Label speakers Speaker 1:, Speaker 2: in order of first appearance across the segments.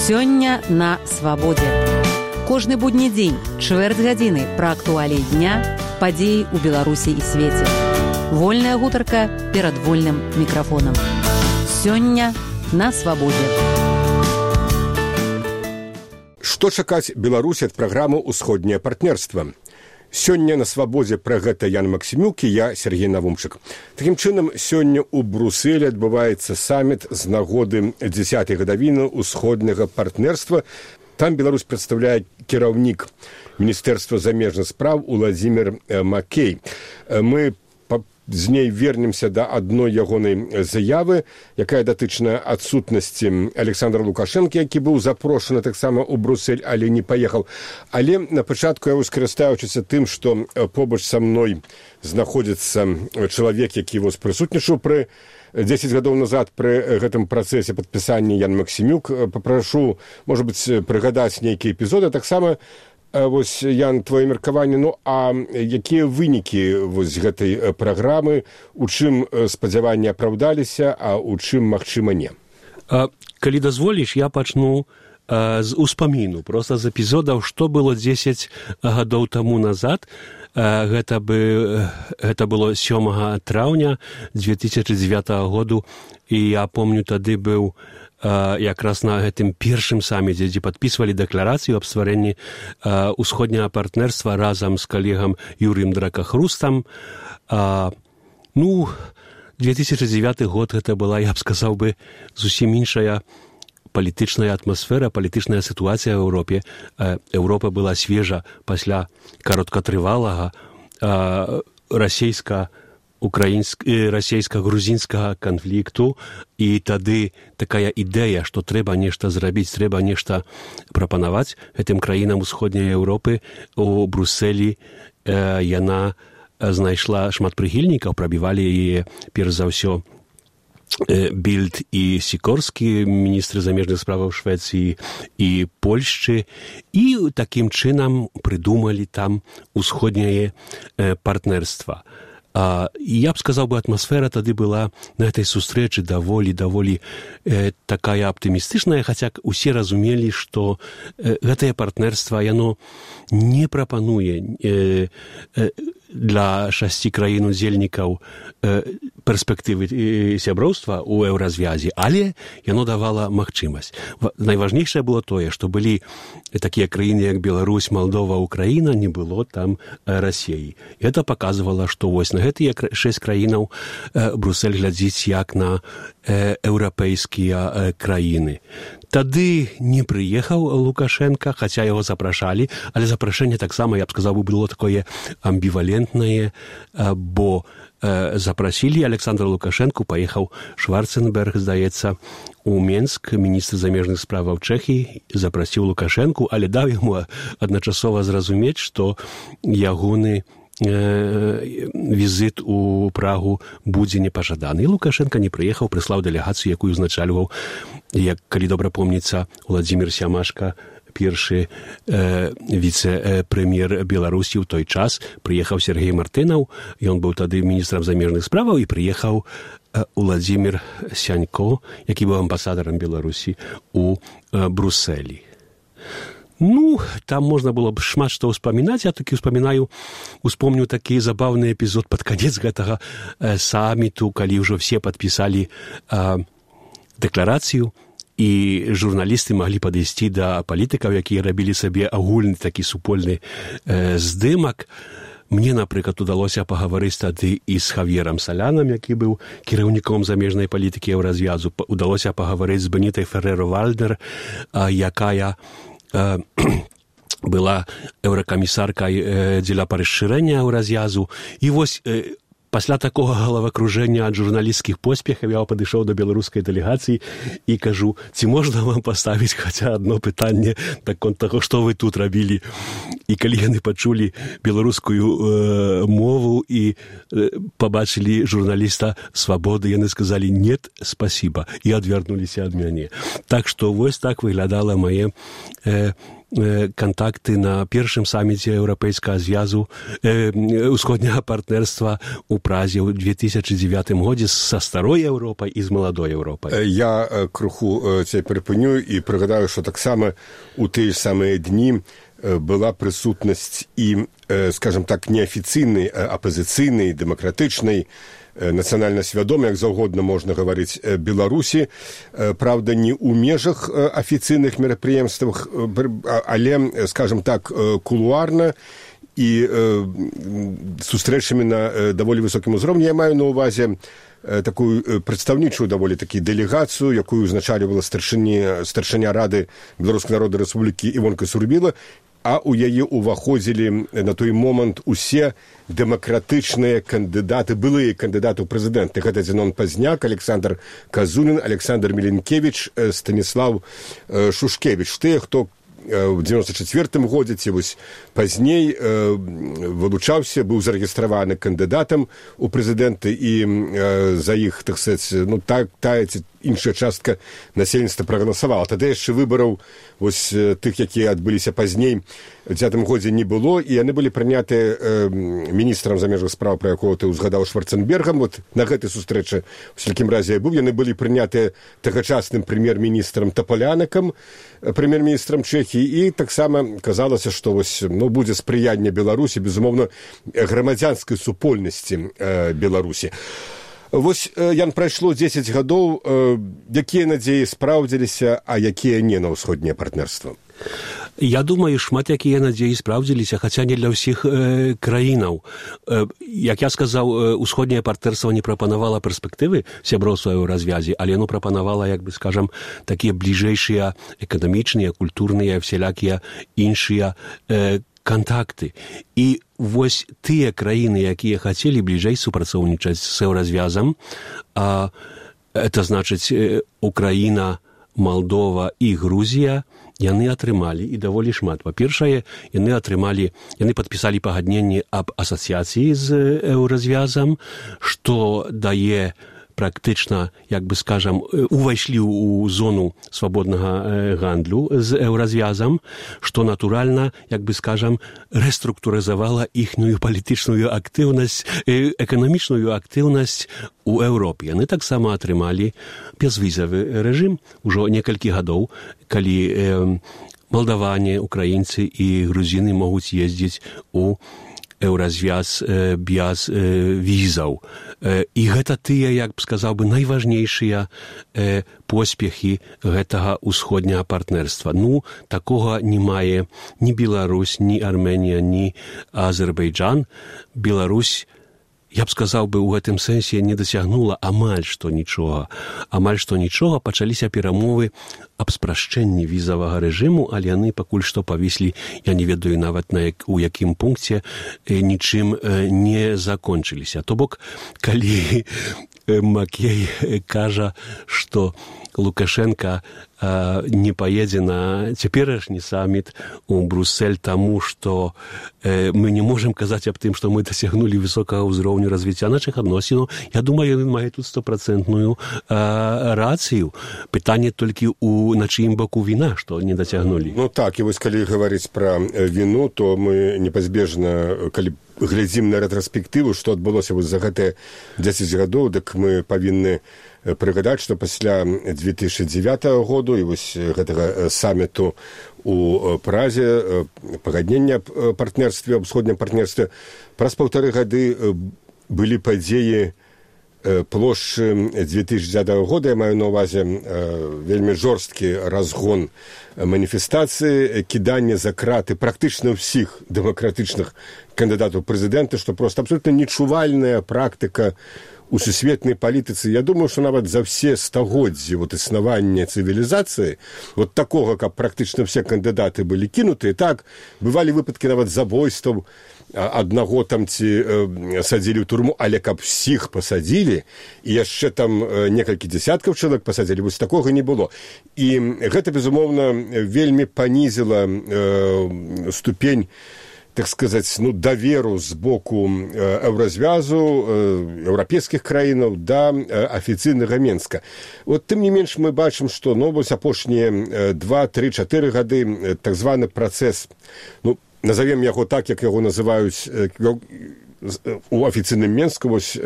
Speaker 1: Сёння на свабодзе. Кожны будні дзень, чвэрць гадзіны пра актуаліі дня, падзеі ў Беларусі і свеце. Вольная гутарка перад вольным мікрафонам. Сёння на свабодзе.
Speaker 2: Што чакаць Беларусі ад праграмы «Усходняе партнерства»? Сёння на свабодзе пра гэта Ян Максімюк і я, Сергей Навумчык. Такім чынам, сёння ў Брусэлі адбываецца саміт з нагоды 10-й гадавіны ўсходняга партнерства. Там Беларусь прадстаўляе кіраўнік Міністэрства замежных спраў Уладзімір Макей. Мы з ней вернемся да адной ягонай заявы, якая датычная адсутнасці Александра Лукашэнкі, які быў запрошаны таксама ў Брусэль, але не паехаў. Але на пачатку я скарыстаючыся тым, што побач са мной знаходзіцца чалавек, які прысутнічаў пры 10 гадоў назад пры гэтым працэсе падпісання Ян Максімюк. Папрашу, можа быць, прыгадаць нейкія эпізоды. Таксама Ян, твоё меркаванне, а якія вынікі гэтай праграмы, у чым спадзяванні апраўдаліся, а у чым, магчыма, не?
Speaker 3: Калі дазволіш, я пачну з успаміну, проста з эпізодаў, што было 10 гадоў таму назад. Гэта было 7 траўня 2009 году, і я помню, тады быў якраз на гэтым першым саміце, дзе падпісвалі дэкларацыю аб стварэнні ўсходняга партнерства разам з калегам Юрыем Дракахрустам. 2009 год гэта была, я б сказаў бы, зусім іншая палітычная атмасфера, палітычная сітуацыя ў Еўропе. Еўропа была свежа пасля кароткатрывалага расійска-грузінскага канфлікту, і тады такая ідэя, што трэба нешта зрабіць, трэба нешта прапанаваць гэтым краінам усходняй Еўропы. У Брусэлі яна знайшла шмат прыхільнікаў, прабівалі яе перш за ўсё Більд і Сікорскі, міністры замежных справаў Швецыі і Польшчы, і такім чынам прыдумалі там усходняе партнерства. Я б сказаў бы, атмасфера тады была на этой сустрэчы даволі такая аптымістычная, хаця усе разумелі, што гэтае партнерства, яно не прапануе для 6 краін-удзельнікаў перспектывы сяброўства ў еўразвязе, але яно давала магчымасць. Найважнейшае было тое, што былі такія краіны, як Беларусь, Малдова, Украіна, не было там Расіі. Гэта паказвала, што на гэтыя 6 краінаў Брусэль глядзіць як на еўрапейскія краіны. Тады не прыехаў Лукашенка, хаця яго запрашалі, але запрашэнне таксама, я б сказаў, было такое амбівалентнае, бо запрасілі Александра Лукашэнку, паехаў Шварценберг, здаецца, у Менск, міністр замежных справаў Чэхіі, запрасіў Лукашэнку, але даў яму адначасова зразумець, што ягоны візіт у Прагу будзе непажаданы. І Лукашенка не прыехаў, прыслаў дэлегацыю, якую узначальваў, як, калі добра помніцца, Уладзімір Сямашка, першы віцэ-прэм'ер Беларусі ў той час. Прыехаў Сергей Мартынаў, ён быў тады міністрам замежных справаў, і прыехаў Уладзімір Сянько, які быў амбасадарам Беларусі у Брусэлі. Там можна было б шмат што ўспамінаць. Я такі успомню такі забаўны эпізод пад канец гэтага саміту, калі ўжо все падпісалі дэкларацыю, і журналісты маглі падысці да палітыкаў, якія рабілі сабе агульны такі супольны здымак. Мне, напрыклад, удалося пагаварыць тады і з Хав'ерам Салянам, які быў кіраўніком замежнай палітыкі еўразвязу. Удалося пагаварыць з Бенітай Ферреро-Вальдер, якая была еўракамісаркай дзеля расшырэння еўразвязу. І пасля такога галавакружэння ад журналісцкіх поспехаў я падышоў да беларускай дэлегацыі і кажу, ці можна вам паставіць хаця адно пытанне наконт таго, што вы тут рабілі. І калі яны пачулі беларускую мову і пабачылі журналіста «Свабоды», яны сказалі «нет, спасибо» і адвярнуліся ад мяне. Так што так выглядала мае контакты на першым саміце Еўрапейскага звязу усходняга партнерства у Празе ў 2009 годзе са старой Еўропай і з маладой Еўропай.
Speaker 2: Я крыху цябе прыпыню і прыгадаю, што таксама у тыя самыя дні была прысутнасць і, скажем так, неафіцыйнай, апазіцыйнай, дэмакратычнай, нацыянальна свядомай, як заўгодна можна гаварыць, Беларусі, правда, не ў межах афіцыйных мерапрыемствах, але, скажем так, кулуарна і сустрэчамі на даволі высокім узроўні. Я маю на ўвазе такую прадстаўнічую даволі такі дэлегацыю, якую узначальвала старшыня Рады Беларускай Народнай Рэспублікі Івонка Сурбіла, а ў яе ўваходзілі на той момант усе дэмакратычныя кандыдаты, былыя кандыдаты ў прэзідэнты. Гэта Зенон Пазняк, Александр Казунін, Александр Міленкевіч, Станіслав Шушкевіч. Тыя, хто в 94-м годзе, ці вось пазней вылучаўся, быў зарэгістраваны кандыдатам у прэзідэнты, і за іх, так сказаць, ну, тая ці іншая частка насельніцтва прагаласавала. Тады яшчэ выбараў вось тых, якія адбыліся пазней, у 2010 годзе не было, і яны былі прынятыя міністрам замежных спраў, пра якога ты узгадаў, Шварценбергам. Вот на гэтай сустрэчы, у всякім разе я быў, яны былі прынятыя тагачасным прэм'ер-міністрам Таполянакам, прэм'ер-міністрам Чэхіі, і таксама казалася, што вось, ну, будзе спрыянне Беларусі, безумоўна, грамадзянскай супольнасці Беларусі. Вось, Ян, прайшло 10 гадоў, якія надзеі спраўдзіліся, а якія не на ўсходняе партнерства?
Speaker 3: Я думаю, шмат якія надзеі спраўдзіліся, хаця не для ўсіх краінаў. Як я сказаў, усходняе партнерства не прапанавала перспектывы сяброўства ў развязе, але яно прапанавала, як бы скажам, такія бліжэйшыя эканамічныя, культурныя, всялякія іншыя контакты. І вось тыя краіны, якія хацелі бліжэй супрацоўнічаць з Еўразвязам, это значыць Украіна, Молдова і Грузія, яны атрымалі і даволі шмат. Па-першае, яны падпісалі пагадненне аб асацыяцыі з Еўразвязам, што дае практычна, як бы скажам, увайшлі ў зону свабоднага гандлю з Еўразвязам, што натуральна, як бы скажам, рэструктурызавала іхнюю палітычную актыўнасць, эканамічную актыўнасць у Еўропе. Яны таксама атрымалі бязвізавы рэжым ужо некалькі гадоў, калі малдаване, украінцы і грузіны могуць ездзіць у Еўразвяз без візаў. І гэта тыя, як б сказаў бы, найважнейшыя поспехі гэтага усходняга партнерства. Ну, такога не мае ні Беларусь, ні Арменія, ні Азербайджан. Беларусь, я б сказаў бы, у гэтым сэнсе не дасягнула амаль што нічога. Амаль што нічога, пачаліся перамовы аб спрашчэнні візавага рэжыму, але яны пакуль што павіслі, я не ведаю нават у якім пункце, нічым не закончыліся. То бок, калі Макей кажа, што Лукашенко не поедзе на цяперашні саміт у Бруссель, таму што мы не можам казаць аб тым, што мы дасягнулі высокага ўзроўню развіцця нашых адносінаў. Я думаю, ён мае тут 100% рацыю. Пытанне толькі на чыім баку віна, што не дацягнулі.
Speaker 2: Ну так, і вось калі гаварыць пра віну, то мы непазбежна, калі глядзім на рэтраспектыву, што адбылося вось за гэтыя 10 гадоў, дык мы павінны прыгадаць, што пасля 2009 году і вось гэтага саміту у Празе, пагаднення аб партнерстве, аб усходнім партнерстве, праз 1,5 гады былі падзеі плошчы 2010 года, я маю на ўвазе вельмі жорсткі разгон маніфестацыі, кіданне за краты практычна ўсіх дэмакратычных кандыдатаў прэзідэнта, што проста абсолютна нечувальная практыка у сусветнай палітыцы. Я думаю, што нават за все стагоддзі існавання цывілізацыі, вот такога, каб практычна все кандыдаты былі кінутыя, так, бывалі выпадкі нават забойстваў, аднаго там ці садзілі ў турму, але каб всіх пасадзілі, і яшчэ там некалькі дзясяткаў чалавек пасадзілі, вось такога не было. І гэта, безумоўна, вельмі панізіла ступень так сказаць, даверу з боку Еўразвязу, еўрапейскіх краінаў да афіцыйнага Менска. Вот тым не менш мы бачым, што вось апошнія 2, 3, 4 гады так званы працэс, назовем яго так, як яго называюць у афіцыйным Менску, вось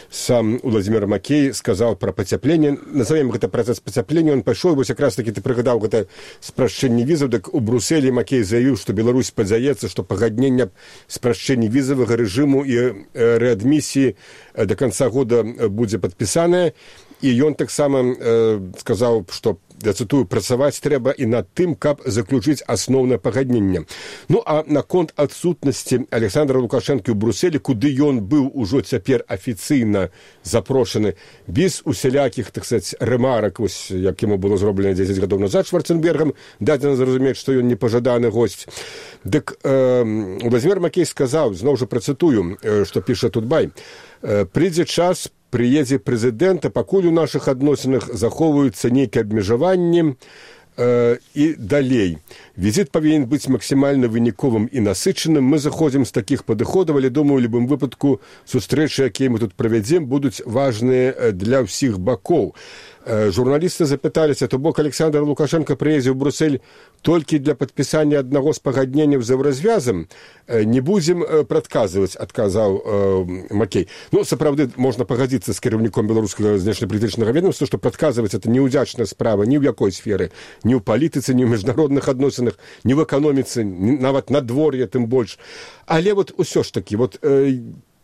Speaker 2: сам Уладзімір Макей сказаў пра пацяпленне, назовем гэта працэс пацяплення, он пайшоў, вось якраз такі ты прыгадаў гэта спрашчэнне візаў, дык у Брусэлі Макей заявіў, што Беларусь падзаецца, што пагадненне спрашчэння візавага рэжыму і рэадмісіі да канца года будзе падпісанае, і ён таксама сказаў, што, я цытую, працаваць трэба і над тым, каб заключыць асноўнае пагадненне. А наконт адсутнасці Александра Лукашэнкі ў Брусэлі, куды ён быў ужо цяпер афіцыйна запрошаны, без усялякіх, так сказаць, рэмарак, вось, як яму было зроблена 10 гадоў назад Шварценбергам, дадзена зразумець, што ён непажаданы госць. Дык Уладзімір Макей сказаў, зноў жа працытую, што піша Тутбай, прыйдзе час, прыедзе прэзідэнт, а пакуль у нашых адносінах захоўваюцца нейкія абмежаванні і далей. Візіт павінен быць максімальна выніковым і насычаным. Мы заходзім з такіх падыходаў, але, думаю, у любым выпадку сустрэчы, якія мы тут правядзем, будуць важныя для ўсіх бакоў. Журналісты запыталіся, то бок Александр Лукашенко прыездзіў у Брусэль толькі для падпісання аднаго з пагадненняў з Еўразвязам. Не будзем прадказваць, адказаў Макей. Сапраўды, можна пагадзіцца з кіраўніком беларускага знешнепалітычнага ведомства, што прадказваць это неўдзячная справа ні ў якой сферы, ні ў палітыцы, ні ў міжнародных адносінах, ні в эканоміцы, нават надвор'е, тым больш. Але вот усё ж такі, вот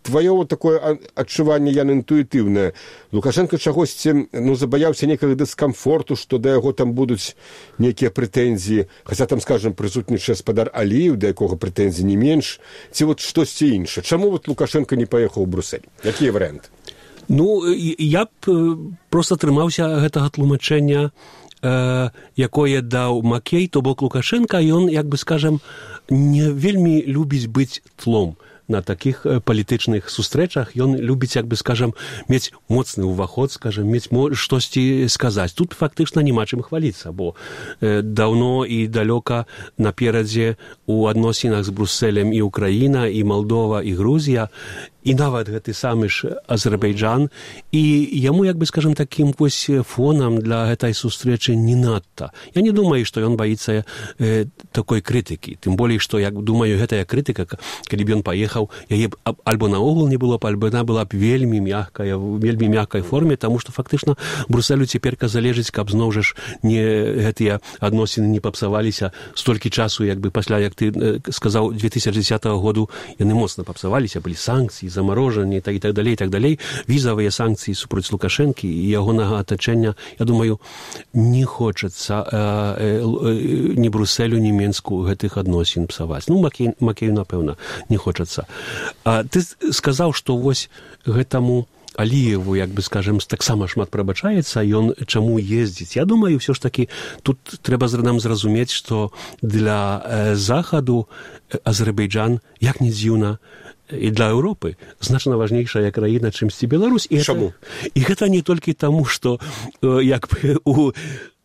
Speaker 2: твоё вот такое адчуванне, яно інтуітыўнае. Лукашенко чагосьці, забаяўся нейкага дыскамфорту, што да яго там будуць нейкія прэтэнзіі, хаця там, скажем, прысутнічае спадар Аліеў, да якога прэтэнзій не менш, ці вот штосьці іншае. Чаму вот Лукашенко не паехаў у Брусэль? Якія варыянты?
Speaker 3: Я б проста трымаўся гэтага тлумачэння, якое даў Макей, то бок Лукашенко, ён, як бы скажам, не вельмі любіць быць тлом на такіх палітычных сустрэчах. Ён любіць, як бы скажам, мець моцны ўваход, скажам, мець штосьці сказаць. Тут фактычна няма чым хваліцца, бо даўно і далёка наперадзе у адносінах з Брусэлем і Украіна, і Малдова, і Грузія, і нават гэты самы ж Азербайджан, і яму, як бы скажам, такім вось фонам для гэтай сустрэчы не надта. Я не думаю, што ён баіцца такой крытыкі. Тым болей, што, як думаю, гэтая крытыка, калі б ён паехаў, яе альбо наогул не было б, альбо яна была б вельмі мяккай форме, таму што фактычна Брусэлю цяперка залежыць, каб зноў жа не гэтыя адносіны не папсаваліся столькі часу, як бы пасля, як ты сказаў, 2010 году яны моцна папсаваліся, былі санкцыі, замарожанне і так далей, візавыя санкцыі супраць Лукашэнкі і ягонага атачэння, я думаю, не хочацца ні Брусэлю, ні Менску гэтых адносін псаваць. Макею, напэўна, не хочацца. Ты сказаў, што вось гэтаму Аліеву, як бы скажем, таксама шмат прабачаецца, ён чаму ездзіць. Я думаю, ўсё ж такі, тут трэба нам зразумець, што для Захаду Азербайджан, як не дзіўна, і для Еўропы значна важнейшая краіна, чымсьці Беларусь.
Speaker 2: Чаму?
Speaker 3: І гэта не толькі таму, што як бы у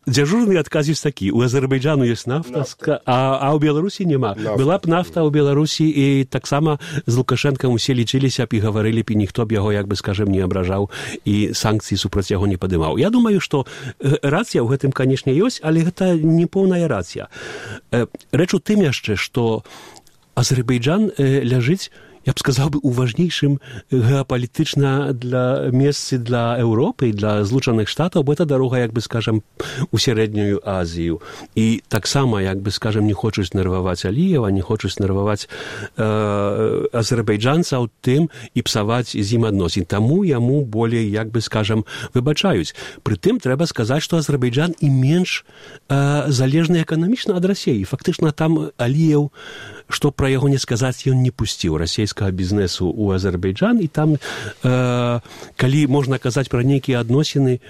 Speaker 3: дзяжурны адказіць такі, у Азербайджану ёсць нафта, а ў Беларусі няма. Была б нафта ў Беларусі, і таксама з Лукашэнкам усе лічыліся б і гаварылі б, і ніхто б яго, як бы скажем, не абражаў і санкцыі супраць яго не падымаў. Я думаю, што рацыя ў гэтым, канешне, ёсць, але гэта не поўная рацыя. Рэч у тым яшчэ, што Азербайджан ляжыць, я б сказаў бы, у важнейшым геапалітычна месцы для Еўропы і для Злучаных Штатаў, бо это дарога, як бы скажам, у сярэднюю Азію. І таксама, як бы скажам, не хочуць нерваваць Аліева, не хочуць нерваваць азербайджанцаў тым і псаваць з ім адносін. Таму яму болей, як бы скажам, выбачаюць. Прытым трэба сказаць, што Азербайджан і менш залежны эканамічна ад Расіі. Фактычна там Аліеў, што пра яго не сказаць, ён не пусціў расійскага бізнесу ў Азербайджан, і там, калі можна казаць пра нейкія адносіны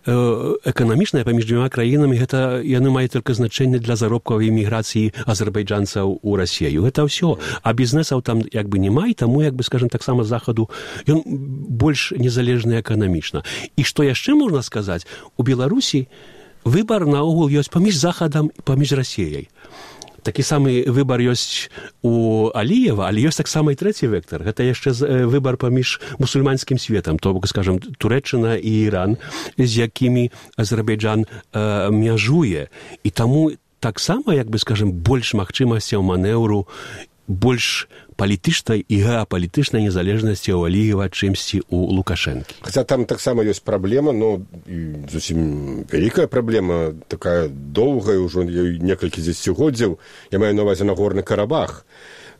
Speaker 3: эканамічныя паміж дзвюма краінамі, гэта яны маюць толькі значэнне для заробкавай эміграцыі азербайджанцаў у Расію. Гэта ўсё. А бізнесаў там як бы няма, і таму, як бы скажем, таксама Захаду ён больш незалежны эканамічна. І што яшчэ можна сказаць, у Беларусі выбар наогул ёсць паміж Захадам і паміж Расіяй. Такі самы выбар ёсць у Аліева, але ёсць таксама і трэці вектар. Гэта яшчэ выбар паміж мусульманскім светам, то бок, скажам, Турэччына і Іран, з якімі Азербайджан мяжуе. І таму таксама, як бы, скажам, больш магчымасцяў манеўру, больш палітычнай і геапалітычнай незалежнасці ў Аліева, чымсьці у Лукашэнкі.
Speaker 2: Хаця там таксама ёсць праблема, зусім вялікая праблема, такая доўгая, ўжо некалькі дзесяцігоддзяў, я маю на ўвазе Нагорны Карабах.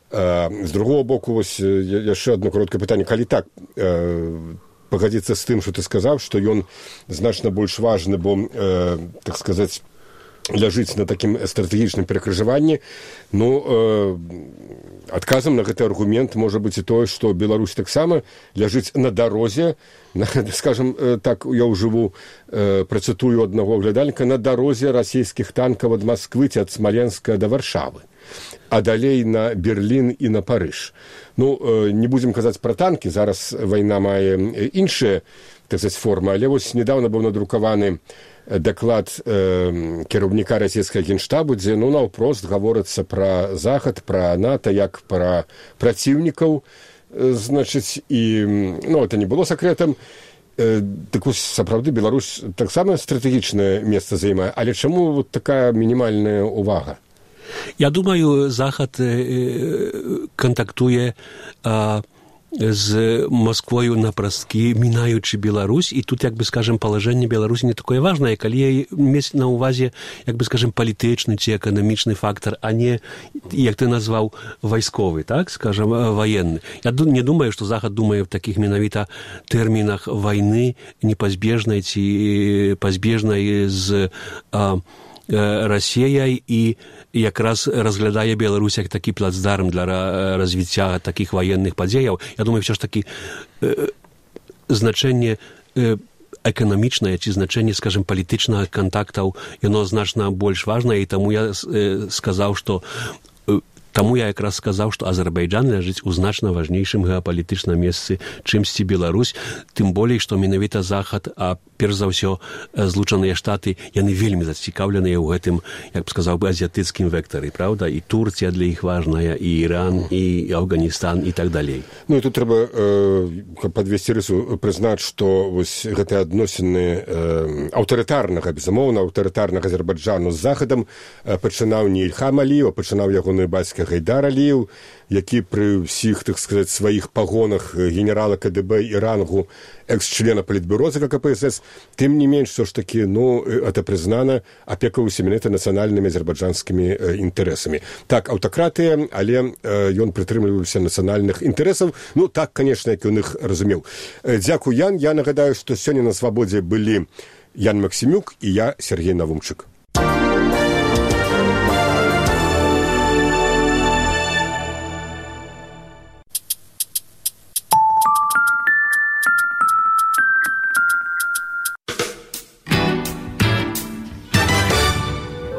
Speaker 2: З другого боку, вось яшчэ одно кароткае пытанне, калі так пагадзіцца з тым, што ты сказаў, што ён значна больш важны, бо, так сказаць, ляжыць на такім стратэгічным перакрыжаванні, адказам на гэты аргумент можа быць і тое, што Беларусь таксама ляжыць на дарозе, скажам так, я ўжыву працытую аднаго глядальніка, на дарозе расійскіх танкаў ад Масквы ці ад Смаленска да Варшавы, а далей на Берлін і на Парыж. Не будзем казаць пра танкі, зараз вайна мае іншыя, так сказаць, формы, але вось недавно быў надрукаваны даклад кіраўніка расійскага генштабу, дзе наўпрост гаворыцца пра Захад, пра НАТО, як пра праціўнікаў, значыць, і это не было сакрэтам. Так вось, сапраўды, Беларусь таксама стратэгічнае месца займае, але чаму такая мінімальная увага?
Speaker 3: Я думаю, Захад контактуе з Москвою напрасткі, мінаючы Беларусь, і тут, як бы, скажем, палажэнне Беларусі не такое важнае, калі мець на ўвазе, як бы, скажем, палітычны ці эканамічны фактар, а не, як ты назваў, вайсковы, так, скажем, ваенны. Я не думаю, што Захад думае в такіх менавіта тэрмінах вайны непазбежнай ці пазбежнай з Расіяй і якраз разглядае Беларусь як такі плацдарм для развіцця такіх ваенных падзеяў. Я думаю, все ж такі значэнне эканамічнае ці значэнне, скажем, палітычнага кантактаў, яно значна больш важнае, і таму я сказаў, што Азербайджан ляжыць у значна важнейшым геапалітычным месцы, чымсьці Беларусь, тым болей, што менавіта Захад, а перш за ўсё Злучаныя Штаты, яны вельмі зацікаўленыя ў гэтым, як б сказаў бы, азіятыцкім вектары, правда? І Турція для іх важная, і Іран, і Афганістан, і так далей.
Speaker 2: І тут трэба падвесці рысу, прызнаць, што вось гэтыя адносіны аўтарытарнага, безумоўна, аўтарытарнага Азербайджану з Захадам пачынаў не Ільхам Аліеў, пачынаў ягоны бацька Гайдар Аліеў, які пры ўсіх, так сказаць, сваіх пагонах генерала КДБ і рангу экс-члена палітбюро ЦК КПСС, тым не менш, все ж такі, это прызнана, апекаўся менавіта нацыянальнымі азербайджанскімі інтарэсамі. Так, аўтакратыя, але ён прытрымліваўся нацыянальных інтарэсаў. Так, канешне, як ён іх разумеў. Дзякуй, Ян. Я нагадаю, што сёння на свабодзе былі Ян Максімюк і я, Сергей Навумчык.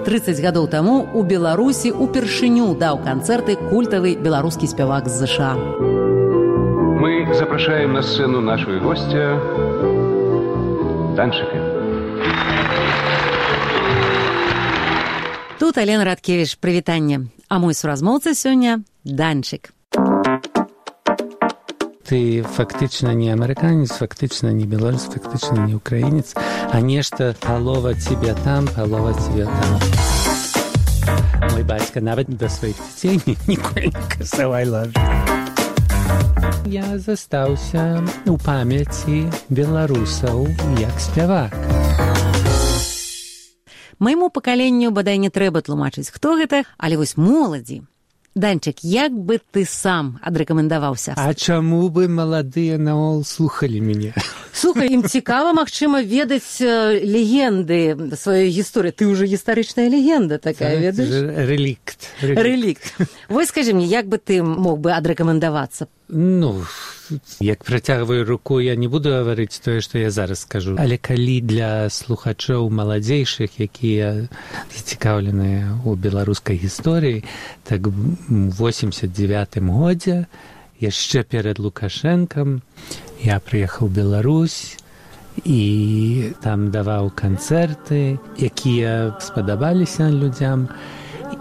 Speaker 1: «30 гадоў таму у Беларусі упершыню даў канцэрты культавы беларускі спявак з США.
Speaker 4: Мы запрашаем на сцену нашего гостя Данчика.
Speaker 1: Тут Алена Радкевіч, прывітанне. А мой суразмоўца сёння Данчик.
Speaker 5: Ты фактычна не амерыканец, фактычна не беларус, фактычна не украінец, а нешта палова тебе там, палова тебе там. Мой бацька нават да сваіх дзяцей ніколі не казаў I love you. Я застаўся у памяці беларусаў як спявак.
Speaker 1: Майму пакаленню бадай не трэба тлумачыць, хто гэта, але вось моладзі. Данчик, як бы ты сам адрэкамендаваўся?
Speaker 5: А чаму бы маладыя наогул слухалі мяне?
Speaker 1: Слухай, ім цікава, магчыма, ведаць легенды сваёй гісторыі. Ты ўжо гістарычная легенда такая, ведаеш? Рэлікт. Вось скажы мне, як бы ты мог бы адрэкамендавацца?
Speaker 5: Як працягваю руку, я не буду гаварыць тое, што я зараз скажу. Але калі для слухачоў маладзейшых, якія зацікаўленыя ў беларускай гісторыі, так у 89-м годзе, яшчэ перад Лукашэнкам, я прыехаў у Беларусь і там даваў канцэрты, якія спадабаліся людзям.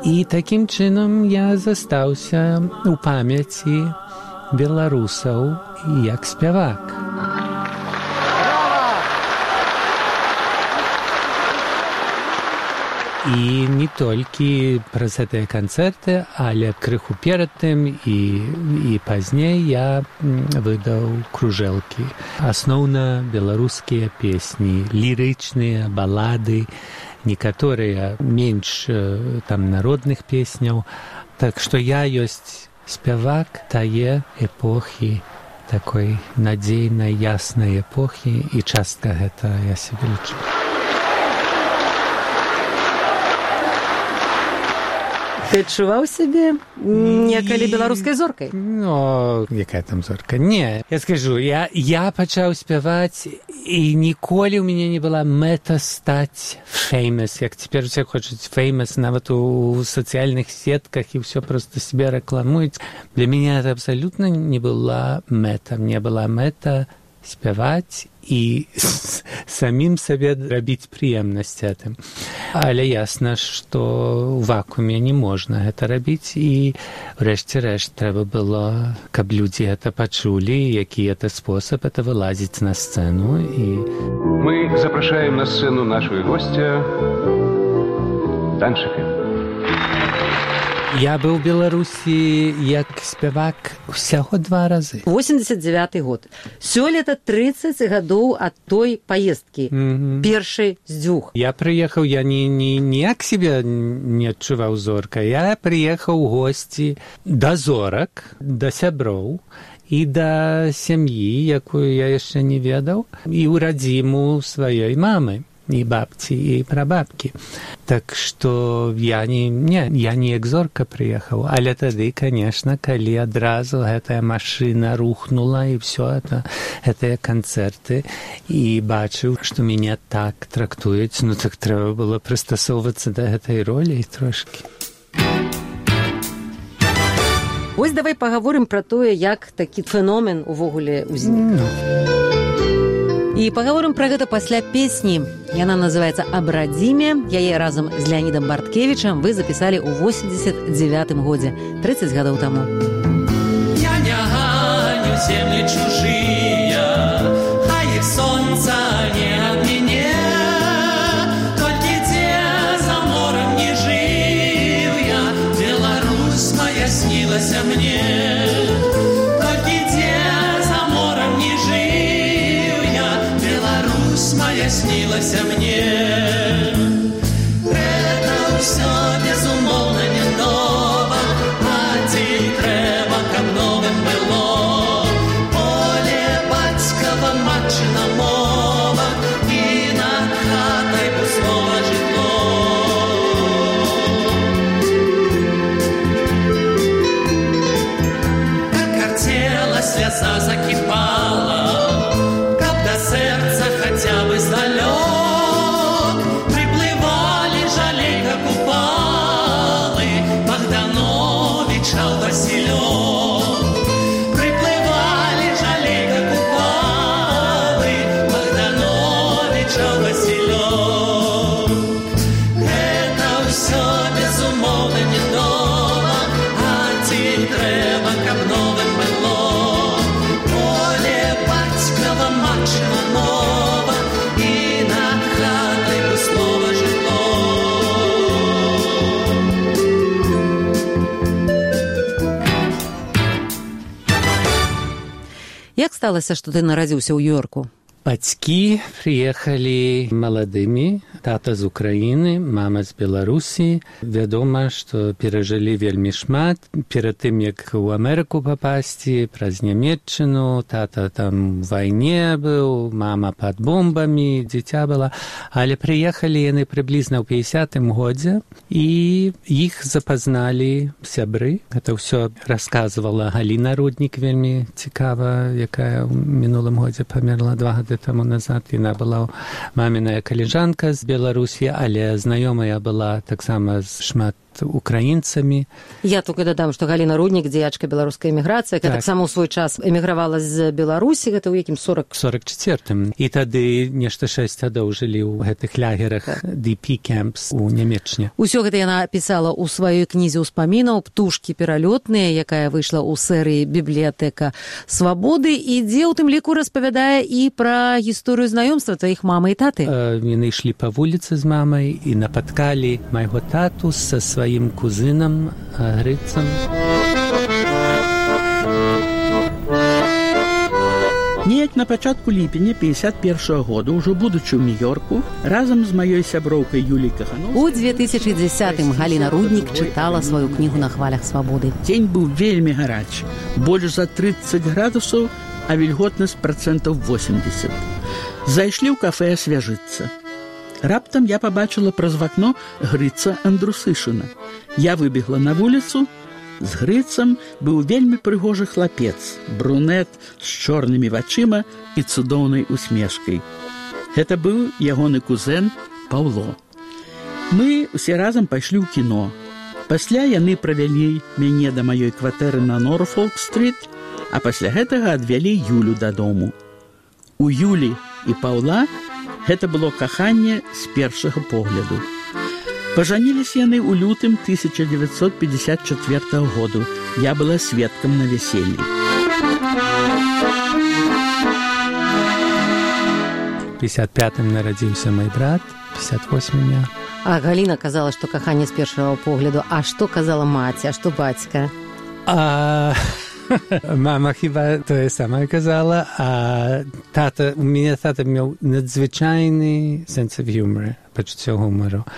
Speaker 5: І такім чынам я застаўся ў памяці беларусаў як спявак. І не толькі праз гэтыя канцэрты, але крыху перад тым і пазней я выдаў кружэлкі. Асноўна беларускія песні, лірычныя, балады, некаторыя менш там народных песняў. Так што я ёсць спявак тае эпохі, такой надзейнай, яснай эпохі, і частка гэта я сябе лічу.
Speaker 1: Ты адчуваў сябе некалі беларускай зоркай?
Speaker 5: Ну, якая там зорка? Не, я скажу, я пачаў спяваць, і ніколі ў мяне не была мэта стаць famous, як цяпер усе хочуць famous, нават у сацыяльных сетках, і ўсё проста себе рэкламуюць. Для мяне это абсалютна не была мэта. Мне была мэта спяваць і самім сабе рабіць прыемнасць гэтым. Але ясна, што ў вакууме не можна гэта рабіць, і ўрэшце-рэшт трэба было, каб людзі гэта пачулі, які это спосаб, это вылазіць на сцэну.
Speaker 4: Мы запрашаем на сцену нашего гостя Данчыка.
Speaker 5: Я быў у Беларусі як спявак усяго 2 разы.
Speaker 1: 89 год. Сёлета 30 гадоў ад той паездкі. Першай з 2.
Speaker 5: Я прыехаў, я ніяк себе не адчуваў зоркай. Я прыехаў у госці да зорак, да сяброў і да сям'і, якую я яшчэ не ведаў, і ў радзіму сваёй мамы. І бабці, і прабабкі. Так што я не як зорка прыехаў, але тады, канешне, калі адразу гэтая машына рухнула, і ўсё гэтыя канцэрты, і бачыў, што мяне так трактуюць, ну так трэба было прыстасоўвацца да гэтай ролі трошкі.
Speaker 1: Вось давай пагаворым пра тое, як такі феномен увогуле ўзнік. І пагаворым пра гэта пасля песні. Яна называецца «Абрадзіме». Яе разам з Леонідам Барткевічам вы запісалі ў 89 годзе, 30 гадоў таму.
Speaker 6: Я не ганю землі чужыя, а іх сонца не ад мяне. Толькі дзе за морем не жыў я, Беларусь моя снілася мне. Толькі дзе за морем не жыў, моя снілася мне. Это ўсё безумоўна не нова, а ці трэба, каб новым было. Поле бацькава, матчына мова, і над хатай пустое жытло. Как картела, сляза закіпала, каб да сэрца хотя бы здалёк приплывали жалейка купалы Богдановича ў Василёк. Приплывали жалейка купалы Богдановича ў Василёк. Это ўсё безумоўна не нова, а ці трэба, каб новым было. Поле бацькава, матчына мова, і над хатай пустое жытло.
Speaker 1: Як сталася, што ты нарадзіўся ў Нью-Йорку?
Speaker 5: Бацькі прыехалі маладымі, тата з Украіны, мама з Беларусі. Вядома, што перажылі вельмі шмат. Перад тым, як у Амерыку папасці, праз Нямецчыну, тата там у вайне быў, мама пад бомбамі, дзіця была. Але прыехалі яны прыблізна ў 50-м годзе, і іх запазналі сябры. Гэта ўсё расказвала Галіна Руднік, вельмі цікава, якая ў мінулым годзе памерла 2 гады таму назад. Яна была маміная калежанка з Беларусі, але знаёмая была таксама з шмат украінцамі.
Speaker 1: Я только дадам, што Галіна Руднік, дзеячка беларускай эміграцыі, так. Таксама ў свой час эмігравала з Беларусі, гэта ў якім
Speaker 5: 44-м. І тады нешта 6 гадоў жылі ў гэтых лагерах DP Camps у Нямеччине.
Speaker 1: Усё гэта яна пісала ў сваёй кнізе ўспамінаў «Птушкі пералётныя», якая выйшла ў серыі «Бібліятэка свабоды», і дзе ў тым ліку распавядае і пра гісторыю знаёмства тваіх мамы і таты.
Speaker 5: Яны ішлі па вуліцы з мамай і напаткалі майго тату са сваім кузынам Грыцам.
Speaker 7: Неяк на пачатку ліпеня 51-го года, ўжо будучы ў Нью-Йорку, разам з маёй сяброўкай Юлій Кахановскай...
Speaker 1: У 2010-м Галіна Руднік чытала сваю кнігу «На хвалях свабоды».
Speaker 7: Дзень быў вельмі гарачы, больш за 30 градусаў, а вільготнасць 80%. Зайшлі ў кафе асвяжыцца. Раптам я пабачыла праз вакно Грыца Андрусышына. Я выбегла на вуліцу. З Грыцам быў вельмі прыгожы хлапец, брунет з чорнымі вачыма і цудоўнай усмешкай. Гэта быў ягоны кузен Паўло. Мы усе разам пайшлі ў кіно. Пасля яны правялі мяне да маёй кватэры на Норфолк-стрит, а пасля гэтага адвялі Юлю дадому. У Юлі і Паўла гэта было каханне з першага погляду. Пажаніліся яны ў лютым 1954 году. Я была сведкам на вяселлі.
Speaker 5: В 55-м нарадзіўся мой брат, 58-м я.
Speaker 1: А Галіна казала, што каханне з першага погляду. А што казала маці, а што бацька?
Speaker 5: Мама хіба тое самае казала, а тата, у мяне тата меў надзвычайны сенс of humor, пачуццё гумару.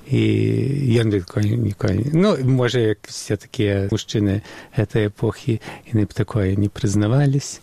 Speaker 5: І ён ніколі, ну, можа, як все такія мужчыны гэтай эпохі, яны б такое не прызнавались.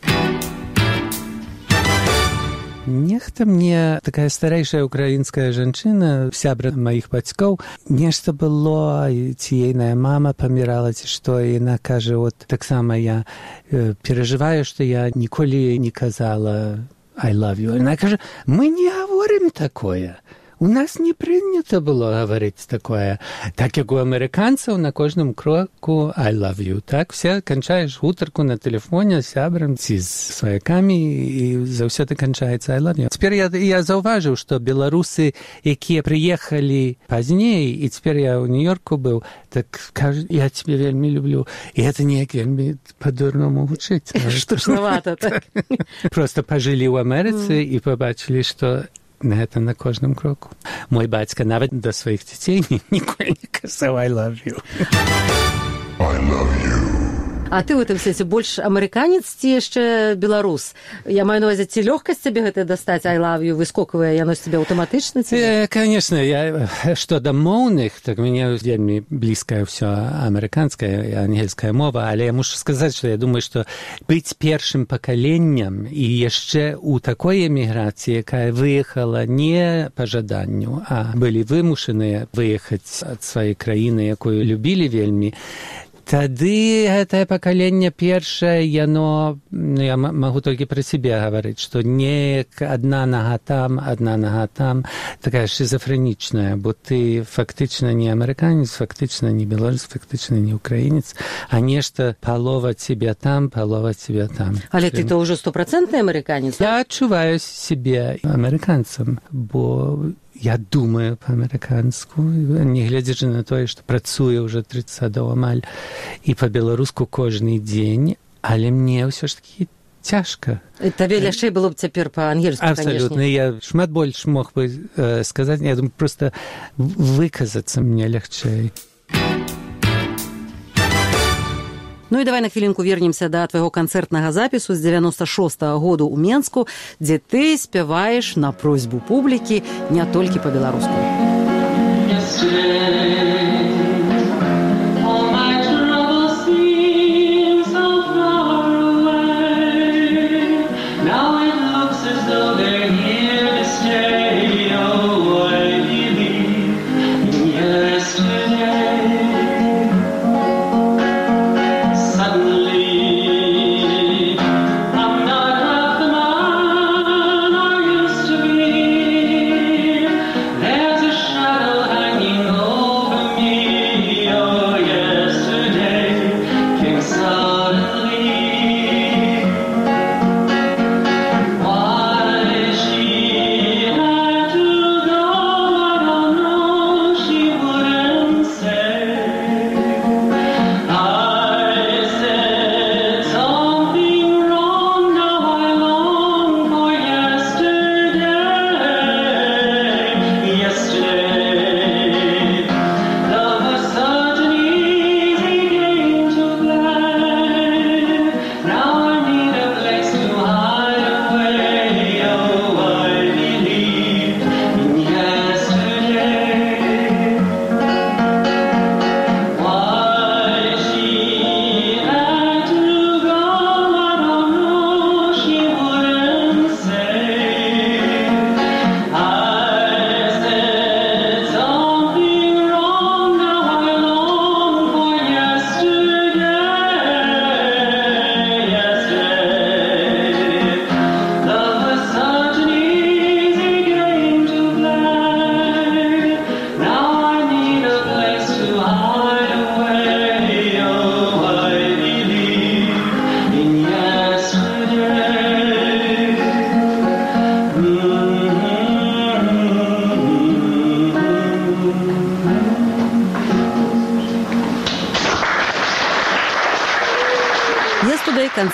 Speaker 5: Нехта мне, такая старэйшая украінская жанчына, сябра маіх бацькоў, нешта было, ці ейная мама памірала, ці што, і яна кажа, от таксама я перажываю, што я ніколі не казала I love you. Яна кажа, мы не гаворым такое. У нас не прынята было гаварыць такое. Так, як у амерыканцаў на кожным кроку I love you. Так, все канчаеш гутарку на тэлефоне з сябрам ці з сваякамі, і заўсёды канчаецца I love you. Цяпер я заўважыў, што беларусы, якія прыехалі пазней, і цяпер я ў Нью-Йорку быў, так кажу, я цябе вельмі люблю. І гэта неяк вельмі па-дурному гучыць.
Speaker 1: Штучнавата, так.
Speaker 5: Проста пажылі ў Амерыцы і пабачылі, што гэта на кожным кроку. Мой бацька нават да сваіх дзяцей ніколі не казаў I love you.
Speaker 8: I love you.
Speaker 1: А ты ў гэтым сэнсе больш амерыканец ці яшчэ беларус? Я маю на ўвазе, ці лёгкасць цябе гэта дастаць I love you, выскоквае яно з цябе аўтаматычна?
Speaker 5: Конечно, я што да моўных, так мяне вельмі блізкае ўсё амерыканская і ангельская мова, але я мушу сказаць, што я думаю, што быць першым пакаленнем і яшчэ ў такой эміграцыі, якая выехала не па жаданню, а былі вымушаныя выехаць ад сваёй краіны, якую любілі вельмі, тады гэтае пакаленне першае, яно, я магу толькі пра сябе гаварыць, што неяк адна нага там, такая шизофрэнічная, бо ты фактычна не амерыканец, фактычна не беларус, фактычна не украінец, а нешта палова цябе там, палова цябе там.
Speaker 1: Але ты то ўжо 100% амерыканец?
Speaker 5: Я адчуваю сябе амерыканцам, бо я думаю па-амерыканску, не гледзячы на тое, што працую ўжо 30 гадоў амаль, і па-беларуску кожны дзень, але мне ўсё ж такі цяжка.
Speaker 1: Табе лягчэй было б цяпер па-ангельску, канешне.
Speaker 5: Абсалютна, я шмат больш мог бы сказаць, я думаю, проста выказацца мне лягчэй.
Speaker 1: Ну і давай на хвілінку вернемся да твайго канцэртнага запісу з 96-го году ў Менску, дзе ты спяваеш на просьбу публікі не толькі па-беларуску.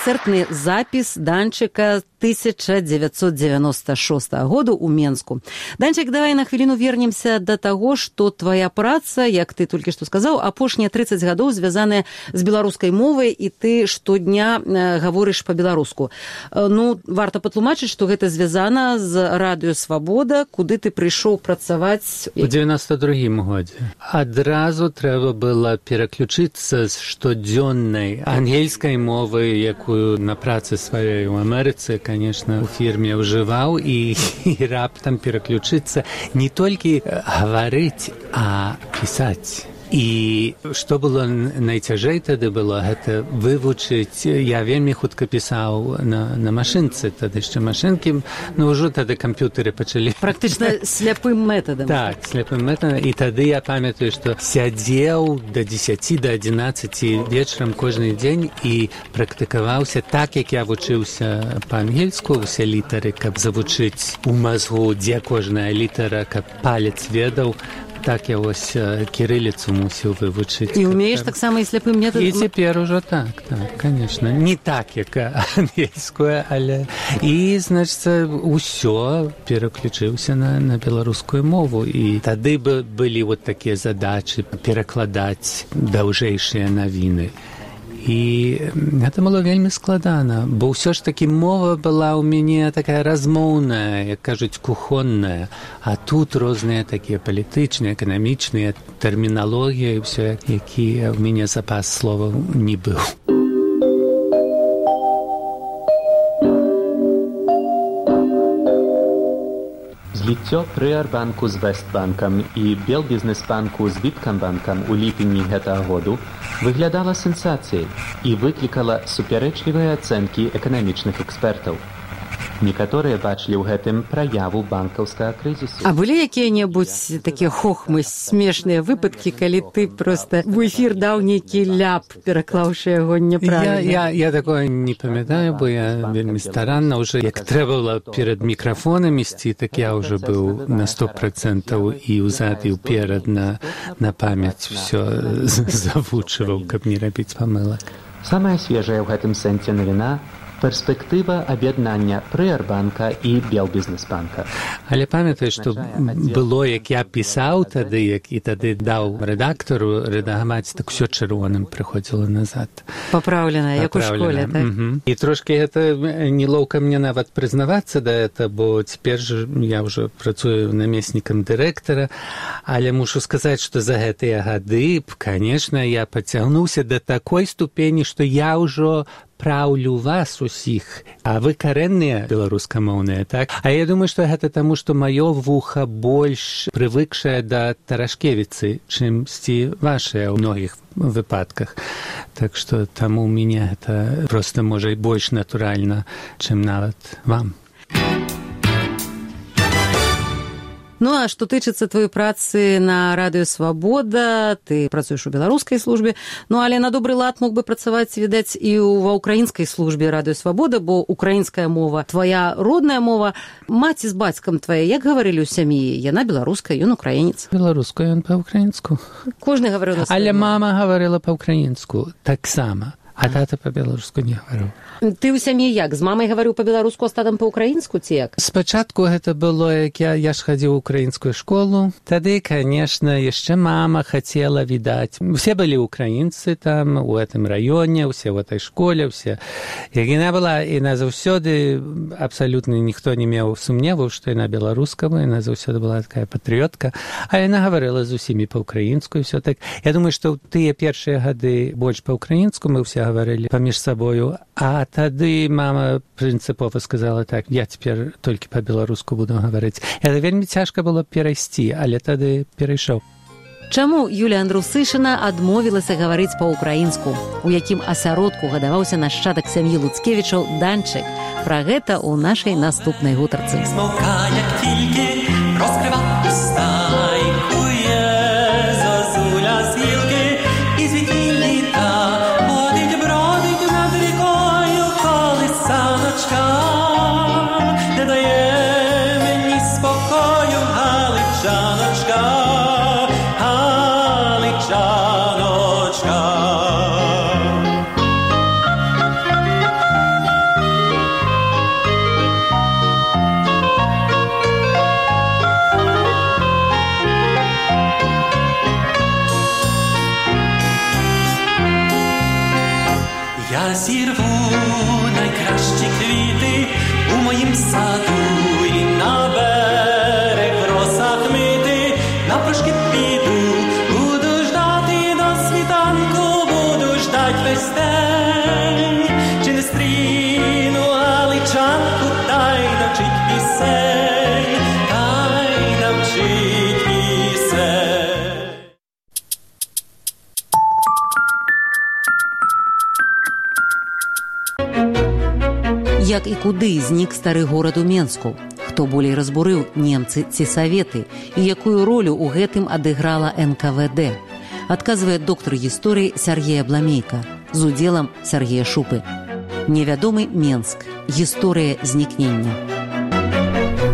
Speaker 1: канцэртны запіс Данчыка 1996 году ў Менску. Данчык, давай на хвіліну вернемся да таго, што твая праца, як ты толькі што сказаў, апошнія 30 гадоў звязаная з беларускай мовай, і ты штодня гаворыш па-беларуску. Ну, варта патлумачыць, што гэта звязана з радыё «Свабода», куды ты прыйшоў працаваць
Speaker 5: у 92-м годзе. Адразу трэба было пераключыцца з штодзённай ангельскай мовы, якую на працы сваёй у Амерыцы, конечно, у фірме ўжываў, і раптам пераключыцца не толькі гаварыць, а пісаць. І што было найцяжэй тады было, гэта вывучыць. Я вельмі хутка пісаў на машынцы, тады яшчэ машынкі, ну ўжо тады камп'ютары пачалі.
Speaker 1: Практычна сляпым метадам.
Speaker 5: Так, сляпым метадам. І тады я памятаю, што сядзеў да 10, да 11 вечарам кожны дзень і практыкаваўся так, як я вучыўся па-ангельску, усе літары, каб завучыць у мазгу, дзе кожная літара, каб палец ведаў. Так я вось кірыліцу мусіў вывучыць.
Speaker 1: І умееш таксама і сляпым метадам?
Speaker 5: І цяпер ужо так, конечно. Не так, як ангельскую, але... І, значыцца, усё пераключыўся на беларускую мову. І тады былі вот такія задачы перакладаць даўжэйшыя навіны. І гэта было вельмі складана, бо ўсё ж такі мова была ў мяне такая размоўная, як кажуць, кухонная, а тут розныя такія палітычныя, эканамічныя тэрміналогіі, ўсё, які ў мяне запас словаў не быў.
Speaker 9: Зліццё Прыарбанку з Вестбанкам і Белбізнесбанку з Віткамбанкам у ліпені гэтага году выглядала сенсацыяй і выклікала супярэчлівыя ацэнкі эканамічных экспертаў. Некаторыя бачылі ў гэтым праяву банкаўскага крызісу.
Speaker 1: А былі якія-небудзь такія хохмы, смешныя выпадкі, калі ты проста в эфір даў нейкі ляп, пераклаўшы яго няправільна?
Speaker 5: Я такое не памятаю, бо я вельмі старанна уже, як трэба было перад мікрафонам ісці, так я уже быў на 100% і ўзад і ўперад на памяць всё завучваў, каб не рабіць памылак.
Speaker 9: Самая свежая ў гэтым сэнсе навіна перспектыва аб'яднання Прыарбанка і Белбізнесбанка.
Speaker 5: Але памятаю, што было, як я пісаў тады, і тады даў рэдактару рэдагаваць, так усё чырвоным прыходзіла назад.
Speaker 1: Папраўлена, як у школе, так?
Speaker 5: І трошкі гэта нелоўка мне нават прызнавацца да гэта, бо цяпер я ўжо працую намеснікам дырэктара, але мушу сказаць, што за гэтыя гады, конечно, я пацягнуўся да такой ступені, што я ўжо праўлю вас усіх, а вы карэнныя беларускамоўныя, так? А я думаю, што гэта таму, што маё вуха больш прывыкшае да Тарашкевіцы, чымсьці вашыя ў многіх выпадках. Так што таму ў мяне гэта проста можа і больш натуральна, чым нават вам.
Speaker 1: Ну, а што тычыцца твоей працы на радыё «Свабода», ты працуеш у беларускай службе, ну, але на добры лад мог бы працаваць, відаць, і ва ўкраінскай службе радыё «Свабода», бо украінская мова, твая родная мова. Маці з бацькам твая, як гаварылі ў сям'і? Яна беларуская, ён украінец.
Speaker 5: Беларуская, ён па-ўкраінску.
Speaker 1: Кожны гаварыў на сваю.
Speaker 5: Але мама гаварыла па-ўкраінску таксама. А тата па-беларуску не гаварыў.
Speaker 1: Ты ў сям'і як? З мамай гаварыў па-беларуску, а з татам па-ўкраінску, ці як?
Speaker 5: Спачатку гэта было, як я ж хадзіў у украінскую школу. Тады, конечно, яшчэ мама хацела, відаць. Усе былі украінцы там, у гэтым раёне, усе ў этой школе, усе. Як яна была, яна заўсёды, абсалютна ніхто не меў сумневаў, што яна беларуска, яна заўсёды была такая патрыётка, а яна гаварыла з усімі па-ўкраінску, і ўсё так. Я думаю, што ў тыя першыя гады больш па-ўкраінску мы ўсе гаварылі паміж сабою, а тады мама прынцыпова сказала так, я цяпер толькі па-беларуску буду гаварыць. Это вельмі цяжка было перайсці, але тады перайшоў.
Speaker 1: Чаму Юлія Андрусышына адмовілася гаварыць па-ўкраінску? У якім асяродку гадаваўся нашчадак сям'і Луцкевічаў Данчык? Пра гэта ў нашай наступнай гутарцы.
Speaker 6: Смолка, як тільки розкрива уста, і кує зозуля з гілки, і звідки літа бродить над рікою колисаночка, не дає мені спокою галичаночка, галичаночка.
Speaker 1: Як і куды знік стары горад у Менску? Хто болей разбурыў, немцы ці саветы? І якую ролю ў гэтым адыграла НКВД? Адказвае доктар гісторыі Сергей Абламейка з удзелам Сергея Шупы. Невядомы Менск. Гісторыя знікнення.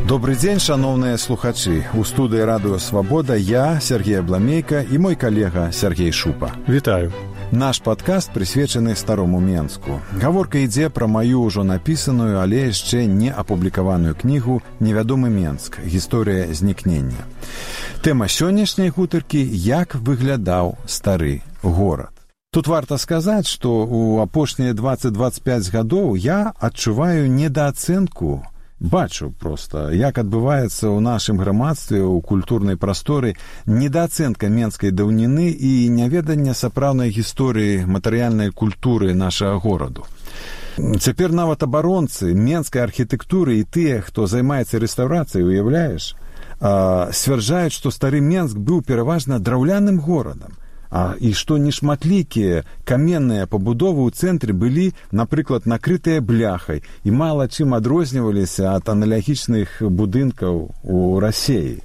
Speaker 10: Добрый дзень, шановныя слухачы. У студыі радыё «Свабода» я, Сергей Абламейка, і мой калега Сергей Шупа.
Speaker 11: Вітаю.
Speaker 10: Наш падкаст прысвечаны старому Менску. Гаворка ідзе пра маю ўжо напісаную, але яшчэ не апублікаваную кнігу «Невядомы Менск. Гісторыя знікнення». Тэма сённяшняй гутаркі – як выглядаў стары горад. Тут варта сказаць, што ў апошнія 20-25 гадоў я адчуваю недаацэнку, бачу проста, як адбываецца ў нашым грамадстве, у культурнай прасторы недаацэнка менскай даўніны і няведання сапраўднай гісторыі матэрыяльнай культуры нашага гораду. Цяпер нават абаронцы менскай архітэктуры і тыя, хто займаецца рэстаўрацыяй, уяўляеш, сцвярджаюць, што стары Менск быў пераважна драўляным горадам. І што нешматлікія каменныя пабудовы ў цэнтры былі, напрыклад, накрытыя бляхай і мала чым адрозніваліся ад аналагічных будынкаў у Расеі.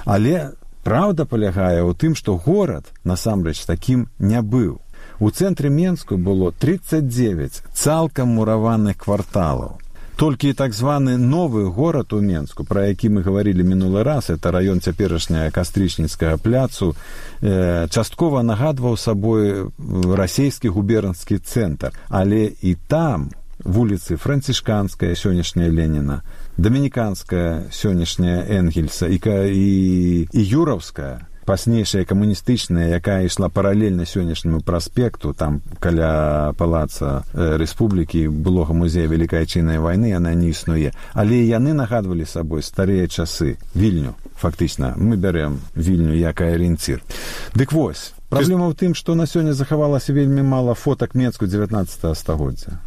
Speaker 10: Але праўда палягае ў тым, што горад, насамрэч, такім не быў. У цэнтры Менску было 39 цалкам мураваных кварталаў. Толькі так званы новы горад у Менску, пра які мы гаварылі мінулы раз, это раён цяперашняга Кастрычніцкага пляцу, часткова нагадваў сабой расійскі губернскі цэнтр. Але і там вуліцы Францішканская, сённяшняя Леніна, Дамініканская, сённяшняя Энгельса і Юраўская, пазнейшая камуністычная, якая ішла паралельна сённяшняму праспекту, там каля палаца Рэспублікі, былога музея Вялікай Адчайнай вайны, яна не існуе. Але яны нагадвалі сабой старыя часы. Вільню, фактычна. Мы бярэм Вільню як арыенцір. Дык вось, праблема ў тым, што на сёння захавалася вельмі мала фотак Менску 19 стагоддзя.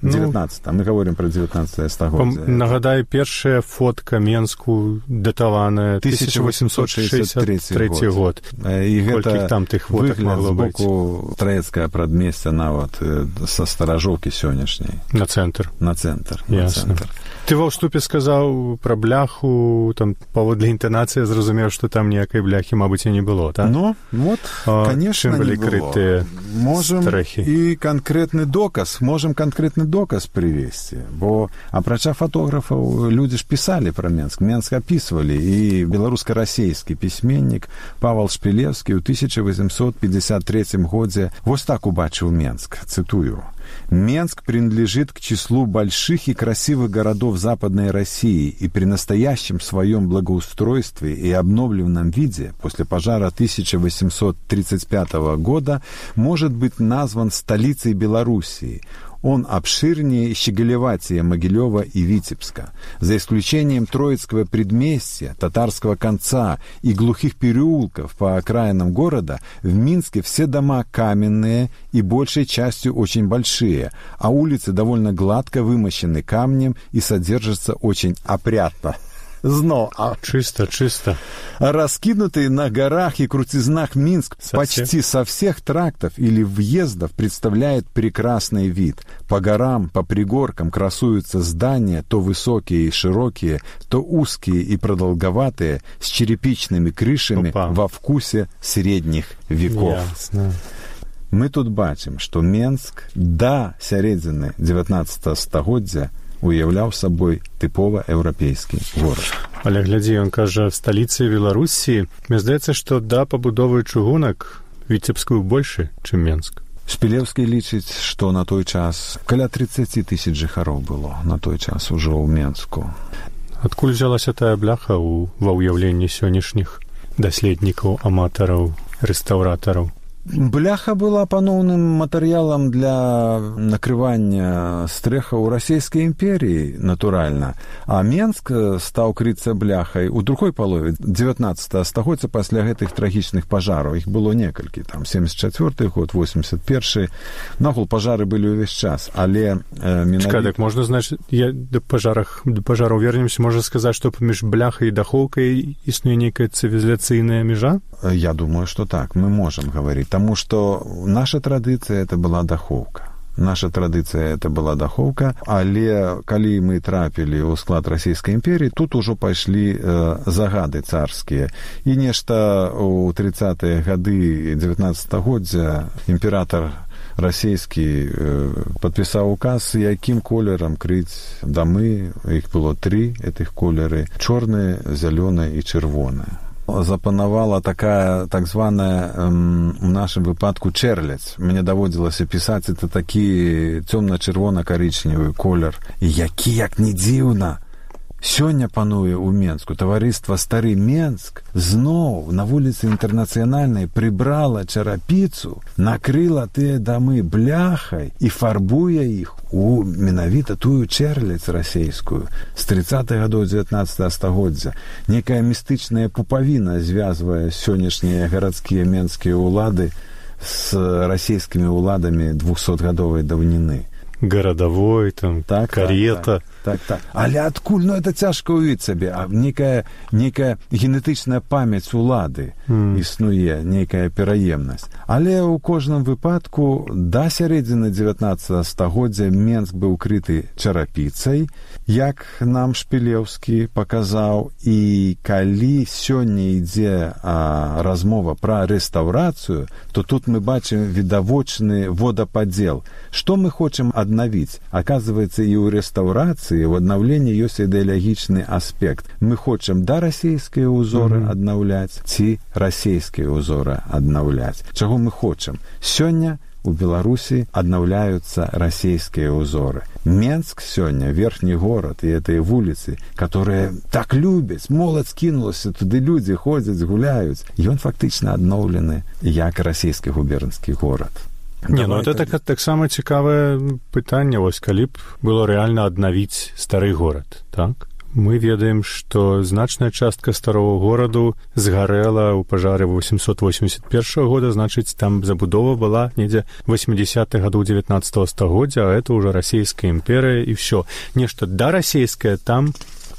Speaker 10: 19. Мы говорим про 19 стагоддзя.
Speaker 11: Нагадаю, першая фотка Менску датаваная 1863 год.
Speaker 10: І гэта
Speaker 11: там тых фотак могло быць.
Speaker 10: З боку траецкага прадмесця нават са старажоўкі сённяшняй.
Speaker 11: На цэнтр. Ясна. Ты ва ўступе сказаў пра бляху, там паводле інтанацыі зразумеў, што там ніякай бляхі, мабыць, і не было, так?
Speaker 10: Ну, вот, конечно, не было. Можем і канкрэтны доказ привесці, бо апрача фотографаў людзі ж пісалі пра Менск. Менск апісвалі, і беларуска-расейскі пісьменнік Павал Шпілевскі ў 1853 годзе вось так убачыў Менск, цитую: «Менск принадлежит к числу больших и красивых городов Западной России и при настоящем своем благоустройстве и обновленном виде после пожара 1835 года может быть назван столицей Белоруссии. Он обширнее Щеголеватия, Могилева и Витебска. За исключением Троицкого предместья, Татарского конца и глухих переулков по окраинам города, в Минске все дома каменные и большей частью очень большие, а улицы довольно гладко вымощены камнем и содержатся очень опрятно».
Speaker 11: Чисто.
Speaker 10: Раскинутый на горах и крутизнах Минск почти со всех трактов или въездов представляет прекрасный вид. По горам, по пригоркам красуются здания, то высокие и широкие, то узкие и продолговатые, с черепичными крышами во вкусе средних веков.
Speaker 11: Ясно.
Speaker 10: Мы тут бачым, што Менск да сярэдзіны 19 стагоддзя уяўляў сабой тыпова еўрапейскі горад.
Speaker 11: Але глядзі, ён кажа, сталіцы Беларусі. Мне здаецца, што да пабудовы чыгунак Віцебскую больше, чым Менск.
Speaker 10: Шпілеўскі лічыць, што на той час каля 30 тысяч жыхароў было на той час ужо ў Менску.
Speaker 11: Адкуль взялася тая бляха ва ўяўленні сённяшніх даследнікаў, аматараў, рэстаўратараў?
Speaker 10: Бляха была паноўным матэрыялам для накрывання стрэхаў расійскай імперіі, натуральна. А Менск стаў крыцца бляхай у другой палове 19 стагоддзя пасля гэтых трагічных пажараў. Іх было некалькі, там 74 год, 81. Нагул пажары былі ўвесь час, але
Speaker 11: Чакай, так можна, значыць, да пажараў вернемся, можна сказаць, што паміж бляхай і дахоўкай існуе нейкая цывілізацыйная мяжа?
Speaker 10: Я думаю, што так, мы можам гаварыць. Потому что наша традиция это была даховка. Наша традыцыя это была дахоўка, але калі мы трапілі ў склад расійскай імперіі, тут ужо пайшлі загады царскія. І нешта ў 30-е гады 19-годдзя імператар расійскі падпісаў указ, якім колерам крыць дамы. Іх было 3 гэтых колеры: чорныя, зялёныя і чырвоныя. Запанавала такая так званая у нашым выпадку чэрлядзь. Мне даводзілася пісаць, это такі цёмна-чырвона-карычневы колер, які, як не дзіўна, сёння пануе ў Менску. Таварыства «Стары Менск» зноў на вуліцы Інтэрнацыянальнай прыбрала чарапіцу, накрыла тыя дамы бляхай і фарбуе іх у менавіта тую чэрлядзь расейскую з 30-х гадоў 19 стагоддзя. Некая містычная пупавіна звязвае сённяшнія гарадскія менскія ўлады з расійскімі ўладамі 200-гадовай даўніны.
Speaker 11: Гарадавой, там, карета.
Speaker 10: Так. Але адкуль? Ну, это цяжка ўявіць сабе. Некая генетычная памяць улады існуе, некая пераемнасць. Але ў кожным выпадку да сярэдзіны 19 стагоддзя Менск быў крыты чарапіцай, як нам Шпілеўскі паказаў. І калі сёння ідзе размова пра рэстаўрацыю, то тут мы бачым відавочны водападзел. Што мы хочам аднавіць? Аказваецца, і ў рэстаўрацыі, в аднаўленні ёсць ідэалагічны аспект. Мы хочам да расійскія ўзоры аднаўляць ці расійскія ўзоры аднаўляць. Чаго мы хочам? Сёння у Беларусі аднаўляюцца расійскія ўзоры. Менск сёння, верхні горад і гэтыя вуліцы, которые так любяць, моладзь кінулася, туды людзі ходзяць, гуляюць. Ён фактычна адноўлены як расійскі губернскі горад.
Speaker 11: Не, ну это таксама цікавае пытанне, вось калі б было рэальна аднавіць стары горад, так? Мы ведаем, што значная частка старого гораду згарэла ў пажары 881 года, значыць, там забудова была недзе 80-х гадоў 19 стагоддзя, а это ўжо расійская імперыя і ўсё. Нешта дарасійскае там,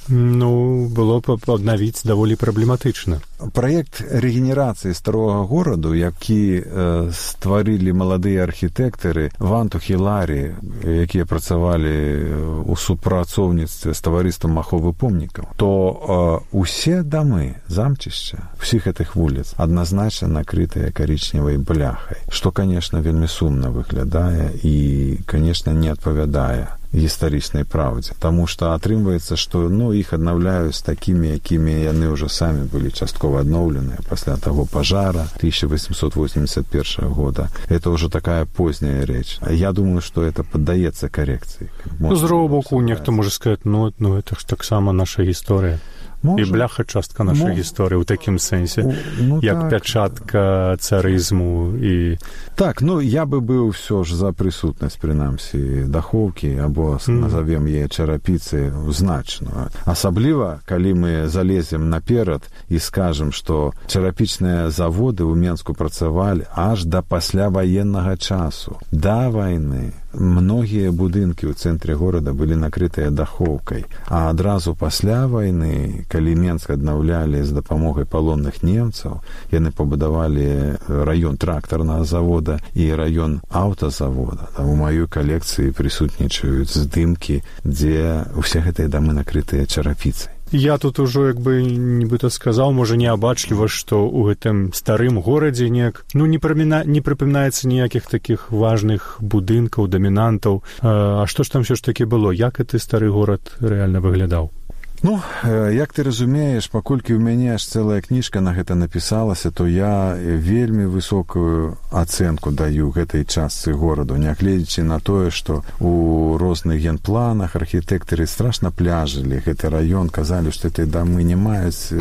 Speaker 11: ну, было б аднавіць даволі праблематычна.
Speaker 10: Праект рэгенерацыі старога гораду, які стварылі маладыя архітэктары Ванту Хіларі, якія працавалі ў супрацоўніцтве з таварыствам аховы помнікаў, то усе дамы замчышча ўсіх гэтых вуліц адназначна накрытыя карычневай бляхай, што, канешне, вельмі сумна выглядае і, канешне, не адпавядае гістарычнай праўдзе. Таму што атрымваецца, што іх аднаўляюць такімі, якімі яны ўжо самі былі часткова адноўленыя пасля таго пажара 1881 года. Это ўжо такая позняя рэч. Я думаю, што это паддаецца карэкцыі.
Speaker 11: З другого боку, нехто можа сказаць, это ж таксама наша гісторыя. І бляха частка нашай гісторыі ў такім сэнсе, як пячатка царызму і...
Speaker 10: Так, я бы быў ўсё ж за прысутнасць, прынамсі, дахоўкі, або назовем яе чарапіцы значную. Асабліва, калі мы залезем наперад і скажам, што чарапічныя заводы ў Менску працавалі аж да пасляваеннага часу, да вайны. Многія будынкі ў цэнтры горада былі накрытыя дахоўкай, а адразу пасля вайны, калі Менск аднаўлялі з дапамогай палонных немцаў, яны пабудавалі раён трактарнага завода і раён аўтазавода. Там у маёй калекцыі прысутнічаюць здымкі, дзе ўсе гэтыя дамы накрытыя чарапіцай.
Speaker 11: Я тут ужо, нібыта сказаў, можа, неабачліва, што ў гэтым старым горадзе неяк, не прыпамінаецца ніякіх такіх важных будынкаў, дамінантаў. А што ж там ўсё ж такі было? Як гэты стары горад рэальна выглядаў?
Speaker 10: Як ты разумееш, паколькі ў мяне аж цэлая кніжка на гэта напісалася, то я вельмі высокую ацэнку даю гэтай частцы гораду, нягледзячы на тое, што у розных генпланах архітэктары страшна пляжылі гэты раён, казалі, што гэтыя дамы не маюць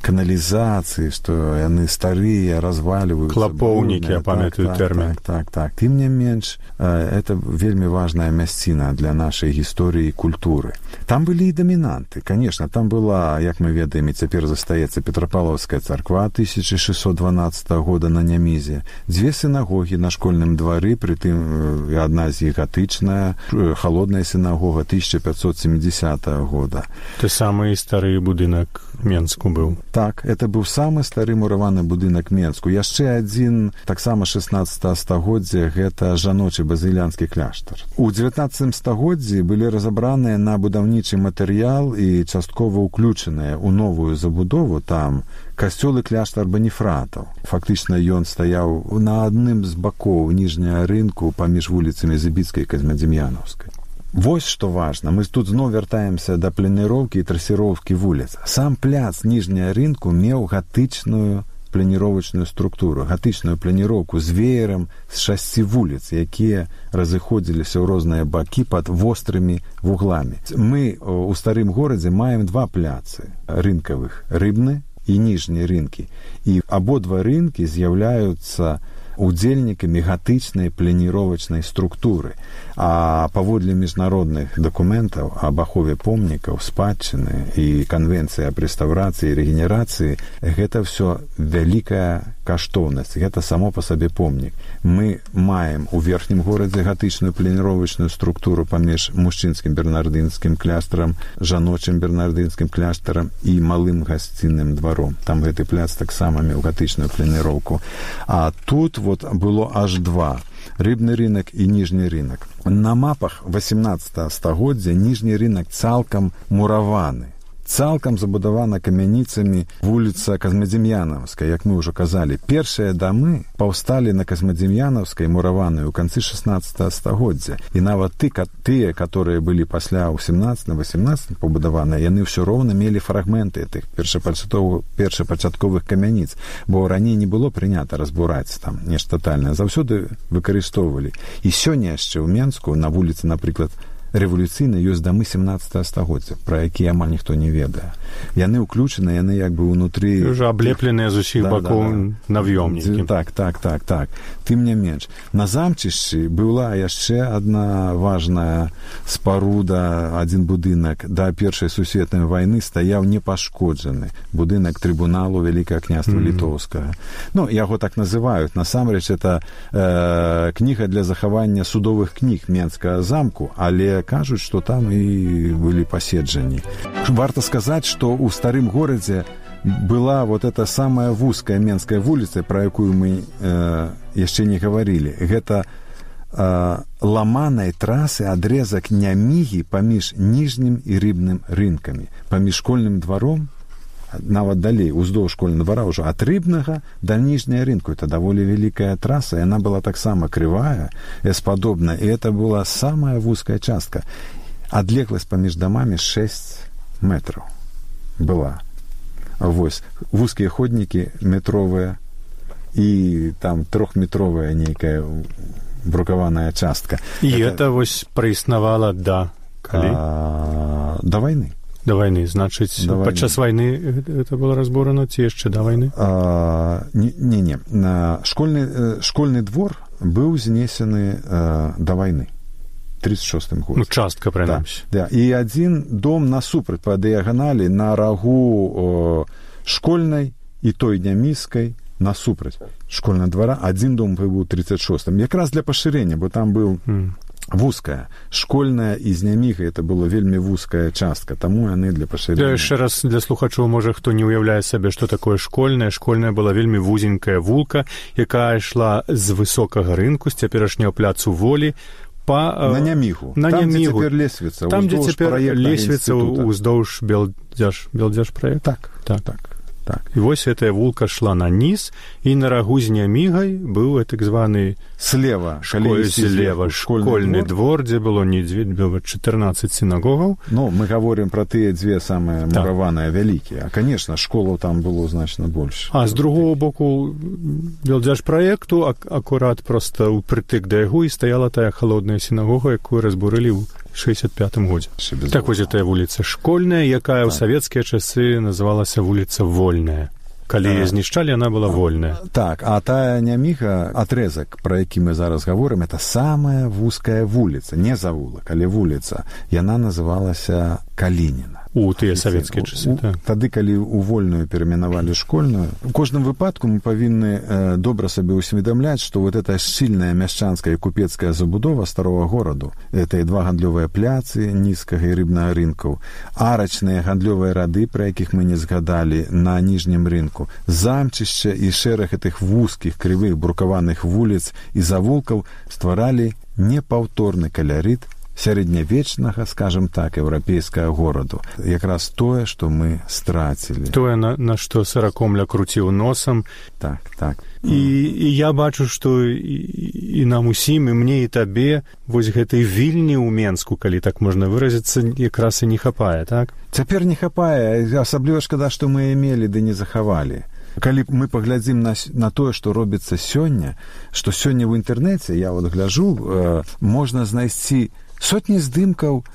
Speaker 10: каналізацыі, што яны старыя, разваліваюцца.
Speaker 11: Клапоўнікі, я памятаю тэрмін.
Speaker 10: Так. Тым не менш, это вельмі важная мясціна для нашай гісторыі і культуры. Там былі і дамінанты. конечно, там была, як мы ведаем, і цяпер застаецца Петропавловская царква 1612 года на Нямізе, 2 сінагогі на школьным двары, притым одна з іх гатычная, холодная сінагога 1570 года.
Speaker 11: Это самый стары будынак Менску быў.
Speaker 10: Так, это быў самы стары мураваны будынак Менску. Яшчэ адзін, таксама 16 стагоддзя, гэта жаночы базыльянскі кляштар. У 19 стагоддзі былі разабраныя на будаўнічы матэрыял і часткова ўключаныя ў новую забудову там касцёл і кляштар Баніфратаў. Фактычна ён стаяў на адным з бакоў ніжняга рынку паміж вуліцамі Зыбіцкай і Казьмадзім'янаўскай. Вось што важна, мы тут зноў вяртаемся да планіроўкі і трасіроўкі вуліц. Сам пляц ніжняга рынку меў гатычную планіровачную структуру, гатычную планіроўку з веерам з 6 вуліц, якія разыходзіліся ў розныя бакі пад вострымі вугламі. Мы ў старым горадзе маем 2 пляцы рынкавых, рыбны і ніжні рынкі. І абодва рынкі з'яўляюцца удзельнікамі гатычнай планіровачнай структуры. А паводле міжнародных дакументаў аб ахове помнікаў, спадчыны і канвенцыі аб рэстаўрацыі і рэгенерацыі, гэта ўсё вялікая каштоўнасць, гэта само па сабе помнік. Мы маем у верхнім горадзе гатычную планіровачную структуру паміж мужчынскім бернардынскім кляштарам, жаночым бернардынскім кляштарам і малым гасцінным дваром. Там гэты пляц таксама меў гатычную планіроўку. А тут вот было аж 2. Рыбны рынок і ніжні рынок. На мапах 18 стагоддзя ніжні рынок цалкам мураваны. Цалкам забудавана камяніцамі вуліца Казьмадзім'янаўская, як мы ўжо казалі. Першыя дамы паўсталі на Казьмадзім'янаўскай мураванай у канцы 16 стагоддзя. І нават тыя, которые былі пасля ў 17-18 пабудаваныя, яны ўсё роўна мелі фрагменты тых першапачатковых камяніц, бо раней не было прынята разбураць там нешта тотальнае. Заўсёды выкарыстоўвалі. І сёння яшчэ ў Менску на вуліцы, напрыклад, рэвалюцыйна ёсць дамы 17 стагоддзя, пра якія амаль ніхто не ведае. Яны ўключаны, яны як бы ўнутры...
Speaker 11: Уже аблепленыя з усіх бакоў навёмнікі.
Speaker 10: Так. Тым не менш. На замчышчы была яшчэ адна важная спаруда, адзін будынак да Першай сусветнай вайны стаяў непашкоджаны. Будынак трыбуналу Вялікага княства Літоўскага. Ну, яго так называюць. Насамрэч, это кніга для захавання судовых кніг Менскага замку, але кажуць, што там і былі паседжанні. Варта сказаць, што ў старым горадзе была вот эта самая вузкая Менская вуліца, пра якую мы яшчэ не гаварылі. Гэта ламанай трасы адрезак Нямігі паміж ніжнім і рыбным рынкамі. Паміж школьным дваром, нават далей, уздоўж школьнага двара ўжо ад рыбнага да ніжняга рынку. Это даволі вялікая траса, яна была таксама крывая, эспадобная, і это была самая вузкая частка. Адлегласць паміж дамамі 6 метраў была. Вось, вузкія ходнікі метровыя і там 3-метровая нейкая брукаваная частка.
Speaker 11: І это вось праіснавала да калі?
Speaker 10: Да вайны.
Speaker 11: Да вайны, значыць, падчас вайны это было разбурана ці яшчэ да вайны?
Speaker 10: Не. Школьны двор быў знесены да вайны. 36-м годзе.
Speaker 11: Ну, частка, прынамсі.
Speaker 10: Да. І адзін дом насупраць па дыяганалі на рагу школьнай і той Няміскай насупраць школьнага двара. Адзін дом быў у 36-м. Якраз для пашырэння, бо там быў вузкая. Школьная і з Нямігай это была вельмі вузкая частка, таму яны для пашырэння.
Speaker 11: Яшчэ раз для слухачоў, можа, хто не ўяўляе сабе, што такое школьная. Школьная была вельмі вузенькая вулка, якая ішла з высокага рынку, з цяперашняга пляцу Волі, на Нямігу.
Speaker 10: Там, дзе цяпер лесвіца.
Speaker 11: Там, дзе цяпер лесвіца ўздоўж Белдзярж праект.
Speaker 10: Так.
Speaker 11: І вось гэтая вулка шла на низ, і на рагу з Нямігай быў так званы
Speaker 10: слева
Speaker 11: школьны двор, дзе было 14 сінагогаў.
Speaker 10: Ну, мы говорим про тыя дзве самыя мураваныя вялікія. А, конечно, школаў там было значна больш.
Speaker 11: А з другого боку Белдзярж праекту акурат проста ўпрытык да яго і стаяла тая халодная сінагога, якую разбурылі ў 65-м годзе. Так вось гэтая вуліца Школьная, якая ў савецкія часы называлася вуліца Вольная. Калі яе знішчалі, яна была вольная.
Speaker 10: Так, а тая Няміга, атрезак, пра які мы зараз гаворым, это самая вузкая вуліца, не завулак, але вуліца. Яна называлася Калініна.
Speaker 11: у тыя савецкія часы.
Speaker 10: Тады, калі ў вольную перайменавалі школьную, у кожным выпадку мы павінны добра сабе усведамляць, што вот эта шчыльная мяшчанская і купецкая забудова старога гораду, это і два гандлёвыя пляцы нізкага і рыбнага рынкаў, арачныя гандлёвыя рады, пра якіх мы не згадалі, на ніжнім рынку, замчышча і шэраг гэтых вузкіх, крывых, брукаваных вуліц і завулкаў стваралі непаўторны калярыт сярэднявечнага, скажем так, еўрапейскага гораду. Якраз тое, што мы страцілі.
Speaker 11: Тое, на што Саракомля круціў носам.
Speaker 10: Так, так.
Speaker 11: І я бачу, што і нам усім, і мне, і табе вось гэтай вільні ў Менску, калі так можна выразіцца, якраз і не хапае, так?
Speaker 10: Цяпер не хапае, асабліва шкада, што мы мелі, ды не захавалі. Калі мы паглядзім на тое, што робіцца сёння, што сёння ў інтэрнэце, я вот гляджу, можна знайсці сотні здымкаў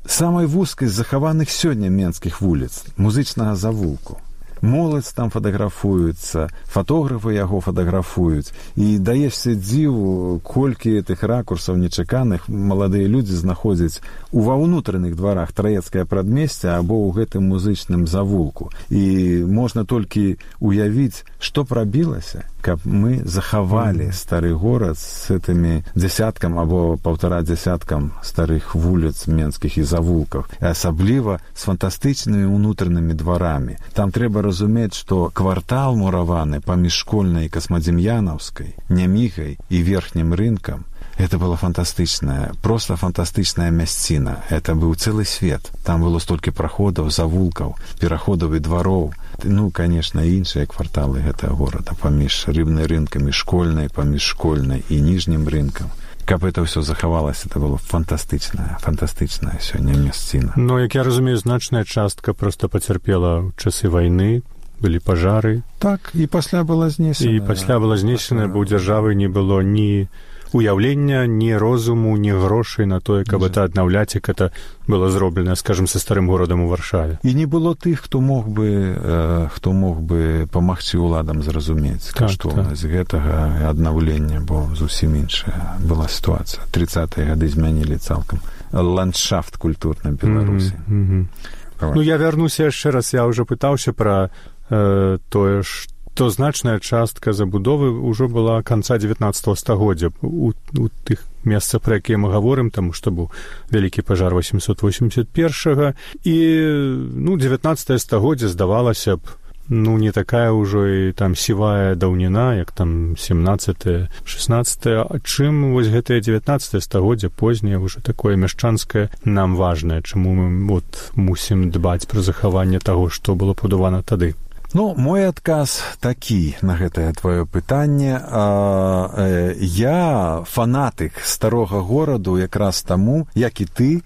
Speaker 10: самай вузкай з захаваных сёння менскіх вуліц, музычнага завулку. Моладзь там фатаграфуецца, фатографы яго фатаграфуюць, і даешся дзіву, колькі тых ракурсаў нечаканых маладыя людзі знаходзяць ва ўнутраных дварах траецкае прадмесця або ў гэтым музычным завулку. І можна толькі уявіць, што прабілася, каб мы захавалі стары горад з гэтымі дзясяткам або паўтара дзясяткам старых вуліц менскіх і завулкаў, і асабліва з фантастычнымі ўнутранымі дварамі. Там трэба разумець, што квартал мураваны паміж школьнай і Касмадзем'янаўскай, Нямігай і верхнім рынкам, это была фантастычная, просто фантастычная мясціна. Это быў цэлы свет. Там было столькі праходаў, завулкаў, пераходаў і двароў. Ну, конечно, іншыя кварталы гэтага горада паміж рыбнай рынкам і школьнай, паміж школьнай і ніжнім рынкам. Каб это ўсё захавалася, это было фантастычная сёння мясціна.
Speaker 11: Но, як я разумею, значная частка проста пацярпела ў часы вайны, былі пажары.
Speaker 10: Так, і пасля была знесена.
Speaker 11: І пасля была знесена, бо ў дзяржавы не было ні уяўлення, ні розуму, ні грошай на тое, каб это аднаўляць, як это было зроблена, скажем, са старым горадам у Варшаве.
Speaker 10: І не было тых, хто мог бы памагчы ўладам зразумець каштоўнасць гэтага аднаўлення, бо зусім іншая была сітуацыя. 30-е гады змянілі цалкам ландшафт культурны Беларусі.
Speaker 11: Ну, я вярнуся яшчэ раз, я ўжо пытаўся пра тое, што значная частка забудовы ўжо была канца 19 стагоддзя у тых месцах, пра якія мы гаворым, таму што быў вялікі пажар 881-га, і 19 стагоддзе здавалася б, не такая ўжо і там сівая даўніна, як там 17-е, 16-е, а чым вось гэтае 19 стагоддзе позняе ўжо такое мяшчанскае нам важнае, чаму мы мусім дбаць пра захаванне таго, што было пабудавана тады.
Speaker 10: Ну, мой адказ такі на гэтае твоё пытанне. Я фанатык старога гораду якраз таму, як і ты,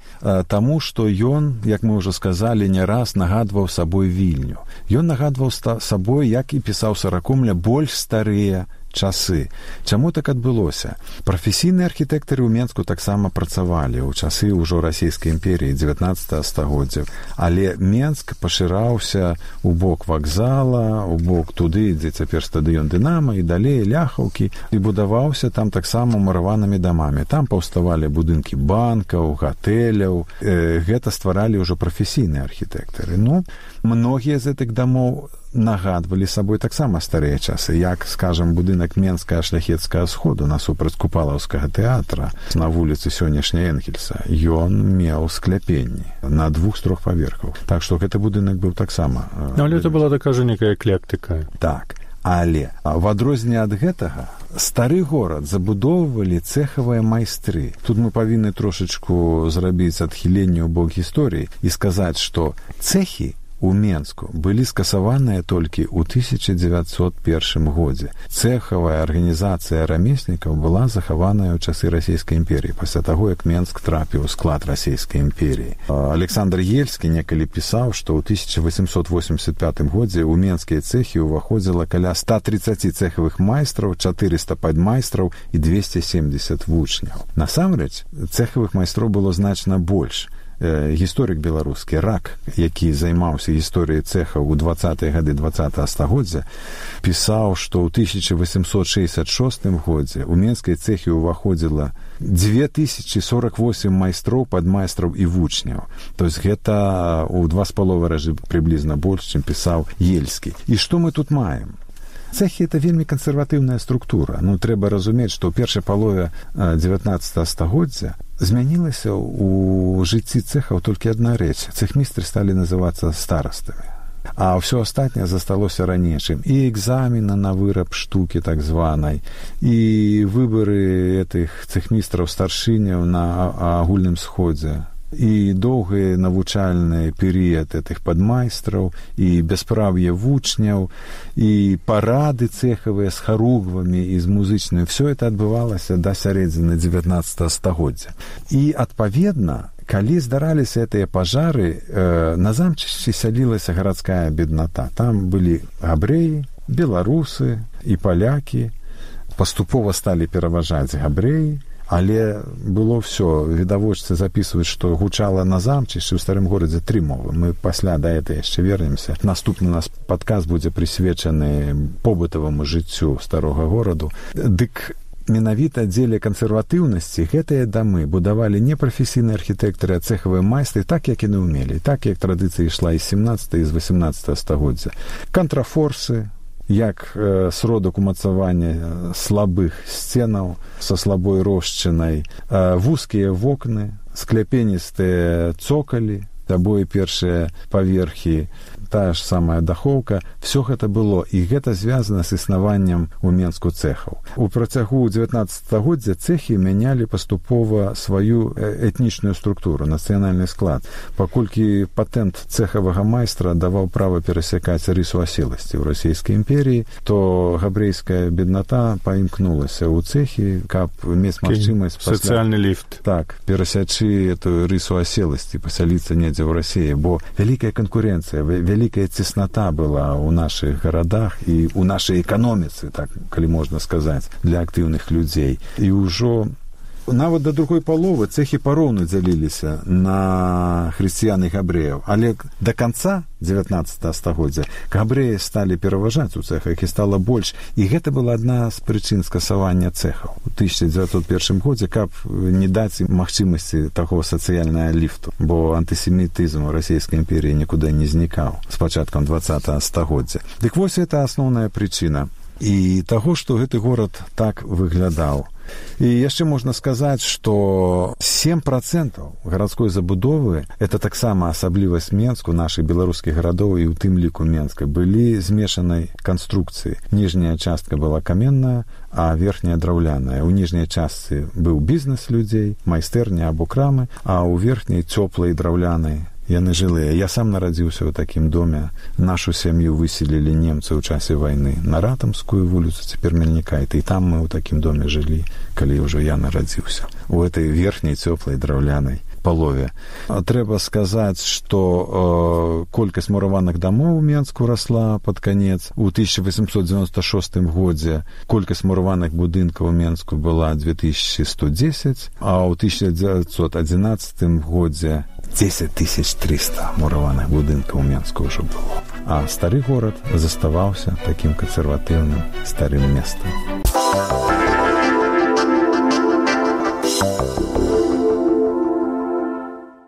Speaker 10: таму, што ён, як мы ўжо сказалі, не раз нагадваў сабой Вільню. Ён нагадваў сабой, як і пісаў Саракомля, больш старыя часы. Чаму так адбылося? Прафесійныя архітэктары ў Менску таксама працавалі ў часы ўжо расійскай імперіі 19 стагоддзя, але Менск пашыраўся у бок вакзала, у бок туды, дзе цяпер стадыён Дынама, і далей Ляхаўкі, і будаваўся там таксама мураванымі дамамі. Там паўставалі будынкі банкаў, гатэляў. Гэта стваралі ўжо прафесійныя архітэктары. Ну, многія з гэтых дамоў нагадвалі сабой таксама старыя часы, як, скажам, будынак Менскага шляхецкага сходу насупраць Купалаўскага тэатра на вуліцы сённяшняй Энгельса. Ён меў скляпенні на 2 з 3 паверхаў. Так што гэты будынак быў таксама...
Speaker 11: Але это была такая некая эклектыка.
Speaker 10: Так, але в адрозненне ад гэтага стары горад забудоўвалі цэхавыя майстры. Тут мы павінны трошачку зрабіць адхіленне ў бок гісторыі і сказаць, што цэхі у Менску былі скасаваныя толькі ў 1901 годзе. Цэхавая арганізацыя рамеснікаў была захаваная ў часы расійскай імперіі, пасля таго, як Менск трапіў у склад расійскай імперіі. Александр Ельскі некалі пісаў, што ў 1885 годзе ў менскія цэхі ўваходзіла каля 130 цэхавых майстраў, 400 падмайстраў і 270 вучняў. Насамрэч, цэхавых майстроў было значна больш. гісторык беларускі Рак, які займаўся гісторыяй цэхаў у 20-е гады 20-го стагоддзя, пісаў, што ў 1866 годзе у менскай цэхі ўваходзіла 2048 майстроў, падмайстраў і вучняў. То есть гэта ў 2,5 разы прыблізна больш, чым пісаў Ельскі. І што мы тут маем? Цэхі – это вельмі кансерватыўная структура. Ну, трэба разумець, што ў першай палове 19 стагоддзя змянілася ў жыцці цэхаў толькі адна рэч. Цэхмістры сталі называцца старастамі. А ўсё астатняе засталося ранейшым. І экзамены на выраб штукі так званай, і выбары этых цэхмістраў старшыняў на агульным сходзе, і доўгі навучальны перыяд этих падмайстраў, і бяспраўе вучняў, і парады цэхавыя з харугвамі і з музычнымі. Все это адбывалася да сярэдзіны 19 стагоддзя. І, адпаведна, калі здараліся гэтыя пажары, на замчышчы сялілася гарадская бедната. Там былі габрэі, беларусы і палякі. Паступова сталі пераважаць габрэі, але было ўсё. Відавочцы запісваюць, што гучала на замчышчы ў старым горадзе 3 мовы. Мы пасля да гэта яшчэ вернемся. Наступны наш падкаст будзе прысвечаны побытаваму жыццю старога гораду. Дык менавіта дзеля кансерватыўнасці гэтыя дамы будавалі не прафесійныя архітэктары, а цэхавыя майстры, так як яны ўмелі, так як традыцыя ішла і з 17 і з 18 стагоддзя. Кантрафорсы, як сродак умацавання слабых сценаў са слабой рошчынай, вузкія вокны, скляпеністыя цокалі, абое першыя паверхі, тая ж самая дахоўка, все гэта было, і гэта звязана з існаваннем у Менску цэхаў. У працягу 19 стагоддзя цэхі мянялі паступова сваю этнічную структуру, нацыянальны склад, паколькі патэнт цэхавага майстра даваў права перасякаць рысу аселасці ў расійскай імперіі, то габрэйская бедната паімкнулася ў цэхі, каб мець магчымасць
Speaker 11: сацыяльны ліфт.
Speaker 10: Так, перасячы эту рысу аселасці, пасяліцца недзе ў Расіі, бо вялікая канкурэнцыя, вялікая цесната была ў нашых гарадах і ў нашай эканоміцы, так, калі можна сказаць, для актыўных людзей. І ўжо нават да другой паловы цэхі пароўну дзяліліся на хрысціян і габрэяў, але да канца 19 стагоддзя габрэі сталі пераважаць у цэхах і стала больш, і гэта была адна з прычын скасавання цэхаў у 1901 годзе, каб не даць ім магчымасці таго сацыяльнага ліфту, бо антысемітызм у расійскай імперіі нікуды не знікаў з пачаткам 20 стагоддзя. Дык вось гэта асноўная прычына і таго, што гэты горад так выглядаў. І яшчэ можна сказаць, што 7% гарадской забудовы, это таксама асаблівасць Менску, нашых беларускіх гарадоў і ў тым ліку Менска, былі змешанай канструкцыі. Ніжняя частка была каменная, а верхняя драўляная. У ніжняй частцы быў бізнес людзей, майстэрня або крамы, а ў верхняй цёплай драўлянай яны жылыя. Я сам нарадзіўся ў такім доме. Нашу сям'ю выселілі немцы ў часе вайны на Ратамскую вуліцу, цяпер Мельнікайта, і там мы ў такім доме жылі, калі ўжо я нарадзіўся. У этой верхняй цёплай драўлянай палове. Трэба сказаць, што колькасць мураваных дамоў у Менску расла пад канец. У 1896 годзе колькасць мураваных будынкаў у Менску была 2110, а ў 1911 годзе 10 300 мураваных будынкаў у Менску ўжо было. А стары горад заставаўся такім кансерватыўным старым месцам.